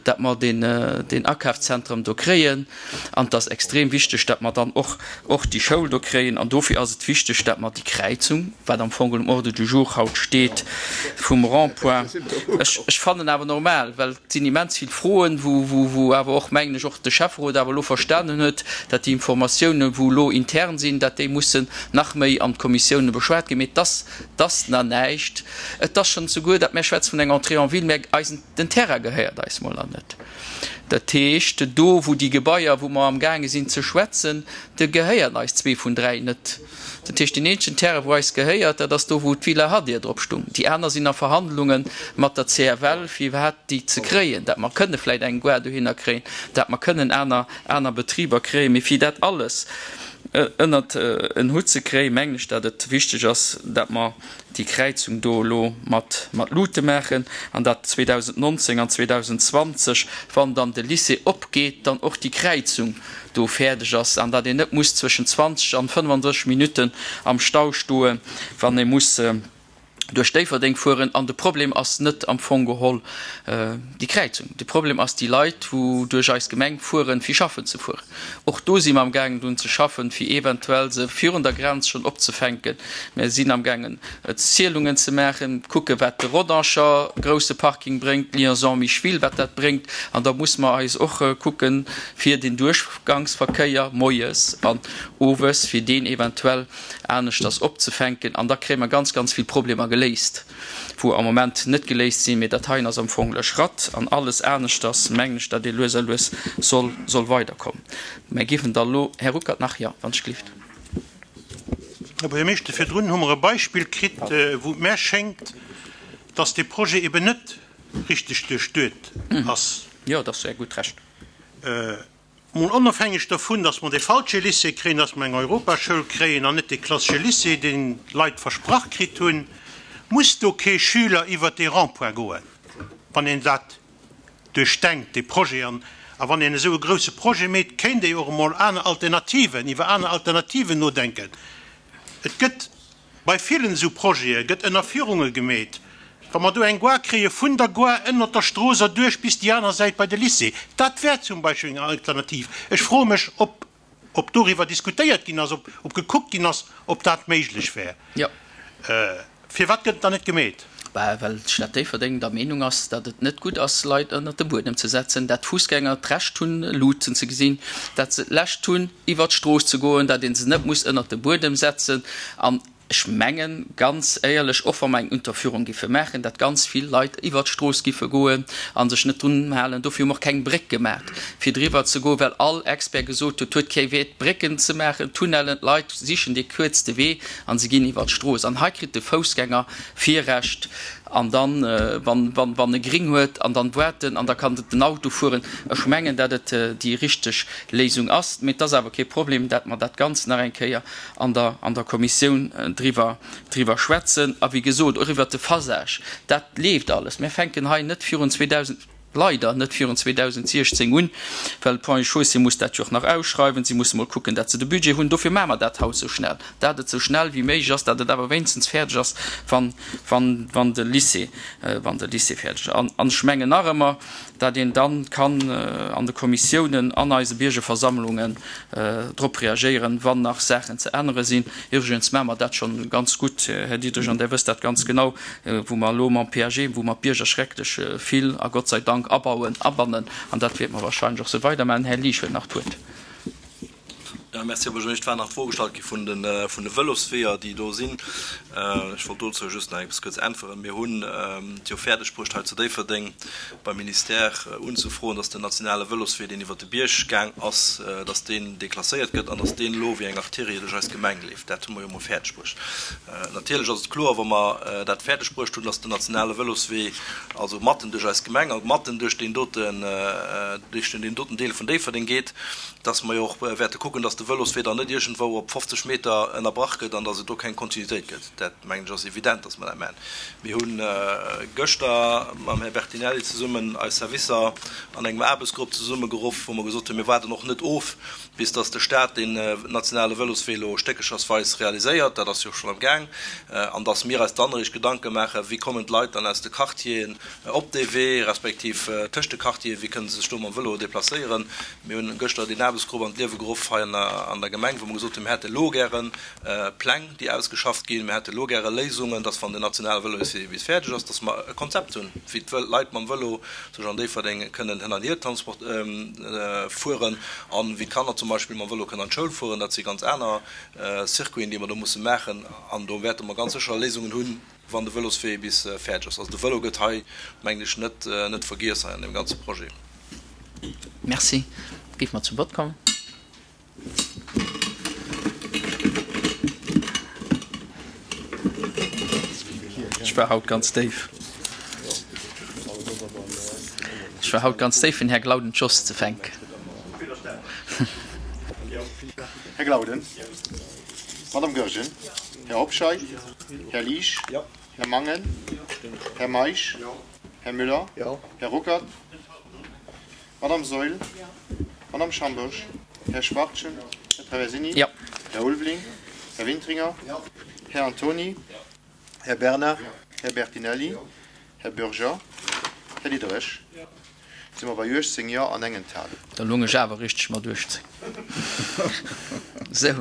datt mer deen, deen Akafszentrum do kréien. An et ass extrem wichteg, datt mer dann och, och déi Schoul do kréien. An dofir ass et wichteg, datt mer déi Kräizung, wat am Fong um Ordre du jour haut steet, vum Rond-point, ech, ech fannen awer normal, well et sinn immens vill Froen, wou, wou, wou awer och, mengen ech, och de Schäfferot awer elo verstanen huet, datt déi Informatiounen, wou elo intern sinn, datt déi mussen nach méi an d'Kommissiounen beschwat ginn. Mee et ass, et ass nach näischt. Et ass schonn souguer, datt mir schwätzen vun enger Entrée en ville, mä eisen, den Terrain gehéiert eis mol nach net. Dat heescht, do wou déi Gebaier, wou mer amgaange sinn ze schwätzen, de gehéieren eis zwee vun dräi net. Dat heescht, deen eenzegen Terrain, wou eis gehéiert, dat ass do wou d'Villa Hadir drop stung. Déi aner sinn a Verhandlunge mat der C F L, fir iwwerhaapt déi ze kréien, dat mer kënne vläicht eng Gare dohinner kréien, dat mer kënnen aner, aner Betriber kréien. Mee fir dat alles ënnert en Hutt ze kréien, mengen ech, dat et wichteg ass, dat mer déi Kräizung do elo mat mat Luute maachen an dat zweedausendnonzéng an zweedausendzwanzeg, wann dann de Lycée opgeet, dann och déi Kräizung do fäerdeg ass an dat een net muss zwëschen zwanzeg an fënnfandrësseg Minutten am Stau stoen, wann ee muss duerch Déifferdeng fueren. An de Problem ass net am Fong geholl déi Kräizung. De Problem ass déi Leit, wou duerch eis Gemeng fueren, fir schaffen ze fueren. Och do si mer amgaangen drun ze schaffen, fir eventuell se virun der Grenz schonn opzefänken. Mer sinn amgaangen Zielungen ze maachen, kucke wat de Rodanger grousse Parking bréngt, d'Liaison Micheville, wat dat bréngt. An da muss mer eis och kucken, fir den Duerchgangsverkéier moies an owes, fir deen eventuell aneschters opzefänken. An da kréie mer ganz, ganz vill Problemer geléist, wou am Moment net geléist sinn. Mee dat heien ass am Fong e Schratt an alles aneschters, mengen ech, datt ee lues a lues soll, soll weiderkommen. Mä géifen da elo, Här Ruckert, nach, jo, wann ech gelift. Här Buergermeeschter, virdrun hu mer e Beispill kritt, wou et mär schéngt, datt dee Projet eben net richteg duerchduet ass. Jo, dat ass Är gutt Recht. Mol onofhängeg dovun, datt mer dee falsche Lycée kréien, datt mer eng Europaschoul kréien an net dee klassesche Lycée, deen d'Leit versprach kritt hunn, muss do kee Schüler iwwert dee Rond-point goen, wann een dat duerchdenkt, dee Projet. An a wann een esou e grouse Projet meet, kéint ee jo och emol aner Alternativen, iwwer aner Alternativen nodenken. Et gëtt Bei villen esou Projete gëtt Ënnerfierunge gemeet. Wa mer do eng Gare kréie vun der Gare ënnert der Strooss erduerch bis déi aner Säit bei de Lycée, dat wär zum Beispill eng Alternativ. Ech froe mech, ob ob doriwwer diskutéiert ginn ass, ob ob gekuckt ginn ass, ob dat méiglech wär. Firwat gëtt et dann net gemeet? Bah, well d'Stad Déifferdeng der Meenung ass, datt et net gutt ass, Leit ënnert de Buedem ze setzen, dat d'Fussgänger d'Recht hunn, Luuten ze gesinn, dat se d'Recht hunn, iwwert d'Strooss ze goen, dat ee se net muss ënnert de Buedem setzen. An ech mengen, ganz éierlech, och wa mer eng Unterführung giffe maachen, dat ganz vill Leit iwwert d'Strooss giffe goen a sech net drun halen. Dofir hu mer och keng Bréck gemaach, fir driwwer ze goen, well all Expert gesot huet, huet kee Wäert, Brécken ze maachen, Tunnellen, d'Leit sichen dee kuerzte Wee a se ginn iwwert d'Strooss. An hei kritt de Foussgänger Virrecht an dann, wann, wann, wann e gring huet, an dann waarten an da kann den Auto fueren. Ech mengen, dat et déi richteg Léisung ass. Mee et ass awer kee Problem, dat mer dat Ganzt nach eng Kéier an der, an der Kommissioun driwwer, driwwer schwätzen. A wéi gesot, och iwwert de Phasage, dat leeft alles. Mir fänken hei net virun zweedausend leider net virun zweedausentsiechzéng un, well Ponts et Chaussées muss dat jo och nach ausschreiwen, si musse mol kucken, dat se de Budget hunn. Dofir maache mer dat haut esou schnell, dat et esou schnell wéi méiglech ass, dat et awer wéinstens fäerdeg ass, wann, wann, wann de Lycée, wann de Lycée fäerdeg ass. An, an ech mengen nach ëmmer, dat een dann kann an de Kommissiounen, an eise Biergerversammlungen drop reagéieren, wann nach Saachen ze ännere sinn. Iwwregens maache mer dat schonn ganz gutt, Här Diderich, an Der wësst dat ganz genau, wou mer elo mam P A G, wou mer d'Bierger schrecklech vill, a Gott sei Dank, abauen, abannen, an dat wäerte mer wahrscheinlech och esou weidermaachen. Här Liesch huet nach d'Wuert. Jo, merci, Här Buergermeeschter. Et war nach d'Fro gestallt gi vun de vun de Vëlosweeër, déi do sinn. Ech wollt dozou just nach eppes kuerz äntweren. Mir hunn et jo fäerdeg bruecht, hei zu Déifferdeng beim Ministère unzefroen, dass den nationale Vëloswee, deen iwwert de Bierg gaang ass, dass deen deklasséiert gëtt an dass deen elo wéi eng Arterie duerch eis Gemeng leeft. Dat hu mer jo emol fäerdeg bruecht. Natierlech ass et kloer, wa mer dat fäerdeg bruecht hunn, dass den nationale Vëloswee also matten duerch eis Gemeng a matten duerch deen doten, duerch deen doten Deel vun Déifferdeng geet, dass mer jo och wäerte kucken, dass de Vëloswee dann net iergendwou op fofzeg Meter ënnerbrach gëtt an dass et do keng Kontinuitéit gëtt. Dat, mengen ech, ass evident, dass mer dat maachen. Mir hu gëschter mam Här Bertinelli zesummen eis Servicer an engem Aarbechtsgrupp zesummegeruff, wou mer gesot hunn, mir waarden och net of, bis dass de Stat deen nationale Vëloswee elo stéckechersweis realiséiert, dat ass jo schonn am Gaang, an dass mir eis dann eréischt Gedanke maachen, wéi kommen d'Leit dann aus de Quartieren op dee Wee, respektiv tëscht de Quartieren, wéi kënne se sech do mam Vëlo deplacéieren. Mir hunn gëschter deen Aarbechtsgrupp an d'Liewe geruff hei an der Gemeng, wou mer gesot hunn, mir hätte elo gäre Pläng, déi ausgeschafft ginn, mir hätte elo gäre Léisungen, dass wann den nationale Vëloswee bis fäerdeg ass, dass mer e Konzept hunn, wéi d'Leit mam Vëlo sech an Déifferdeng kënnen hin an hier fueren an wéi d'Kanner zum Beispill mam Vëlo kënnen an d'Schoul fueren. Dat si ganz aner Circuiten, déi mer do musse maachen an do wäerte mer ganz sécher Léisungen hunn, wann de Vëloswee bis fäerdeg ass. Also de Vëlo gëtt hei, mengen ech, net net vergiess hei an deem ganze Projet. Merci. Géife mer zum Vott kommen. Ech war haut ganz déif. Ech war haut ganz déif, fir den Här Glauden d'Schoss ze fänken. Här Glauden. Madame Goergen. Här Hobscheit. Här Liesch. Här Mangen. Här Meisch. Här Müller. Här Ruckert. Madame Saeul. Madame Schambourg. Här Schwachtgen. Här Traversini. Här Ulveling. Här Wintringer. Här Antoni. Här Bernard. Här Bertinelli. Här Bürger. Här Diderich. Si mer bei uechtzéng Jo an eng Enthalung. Da loung ech awer richteg mat uechtzéng. Sou.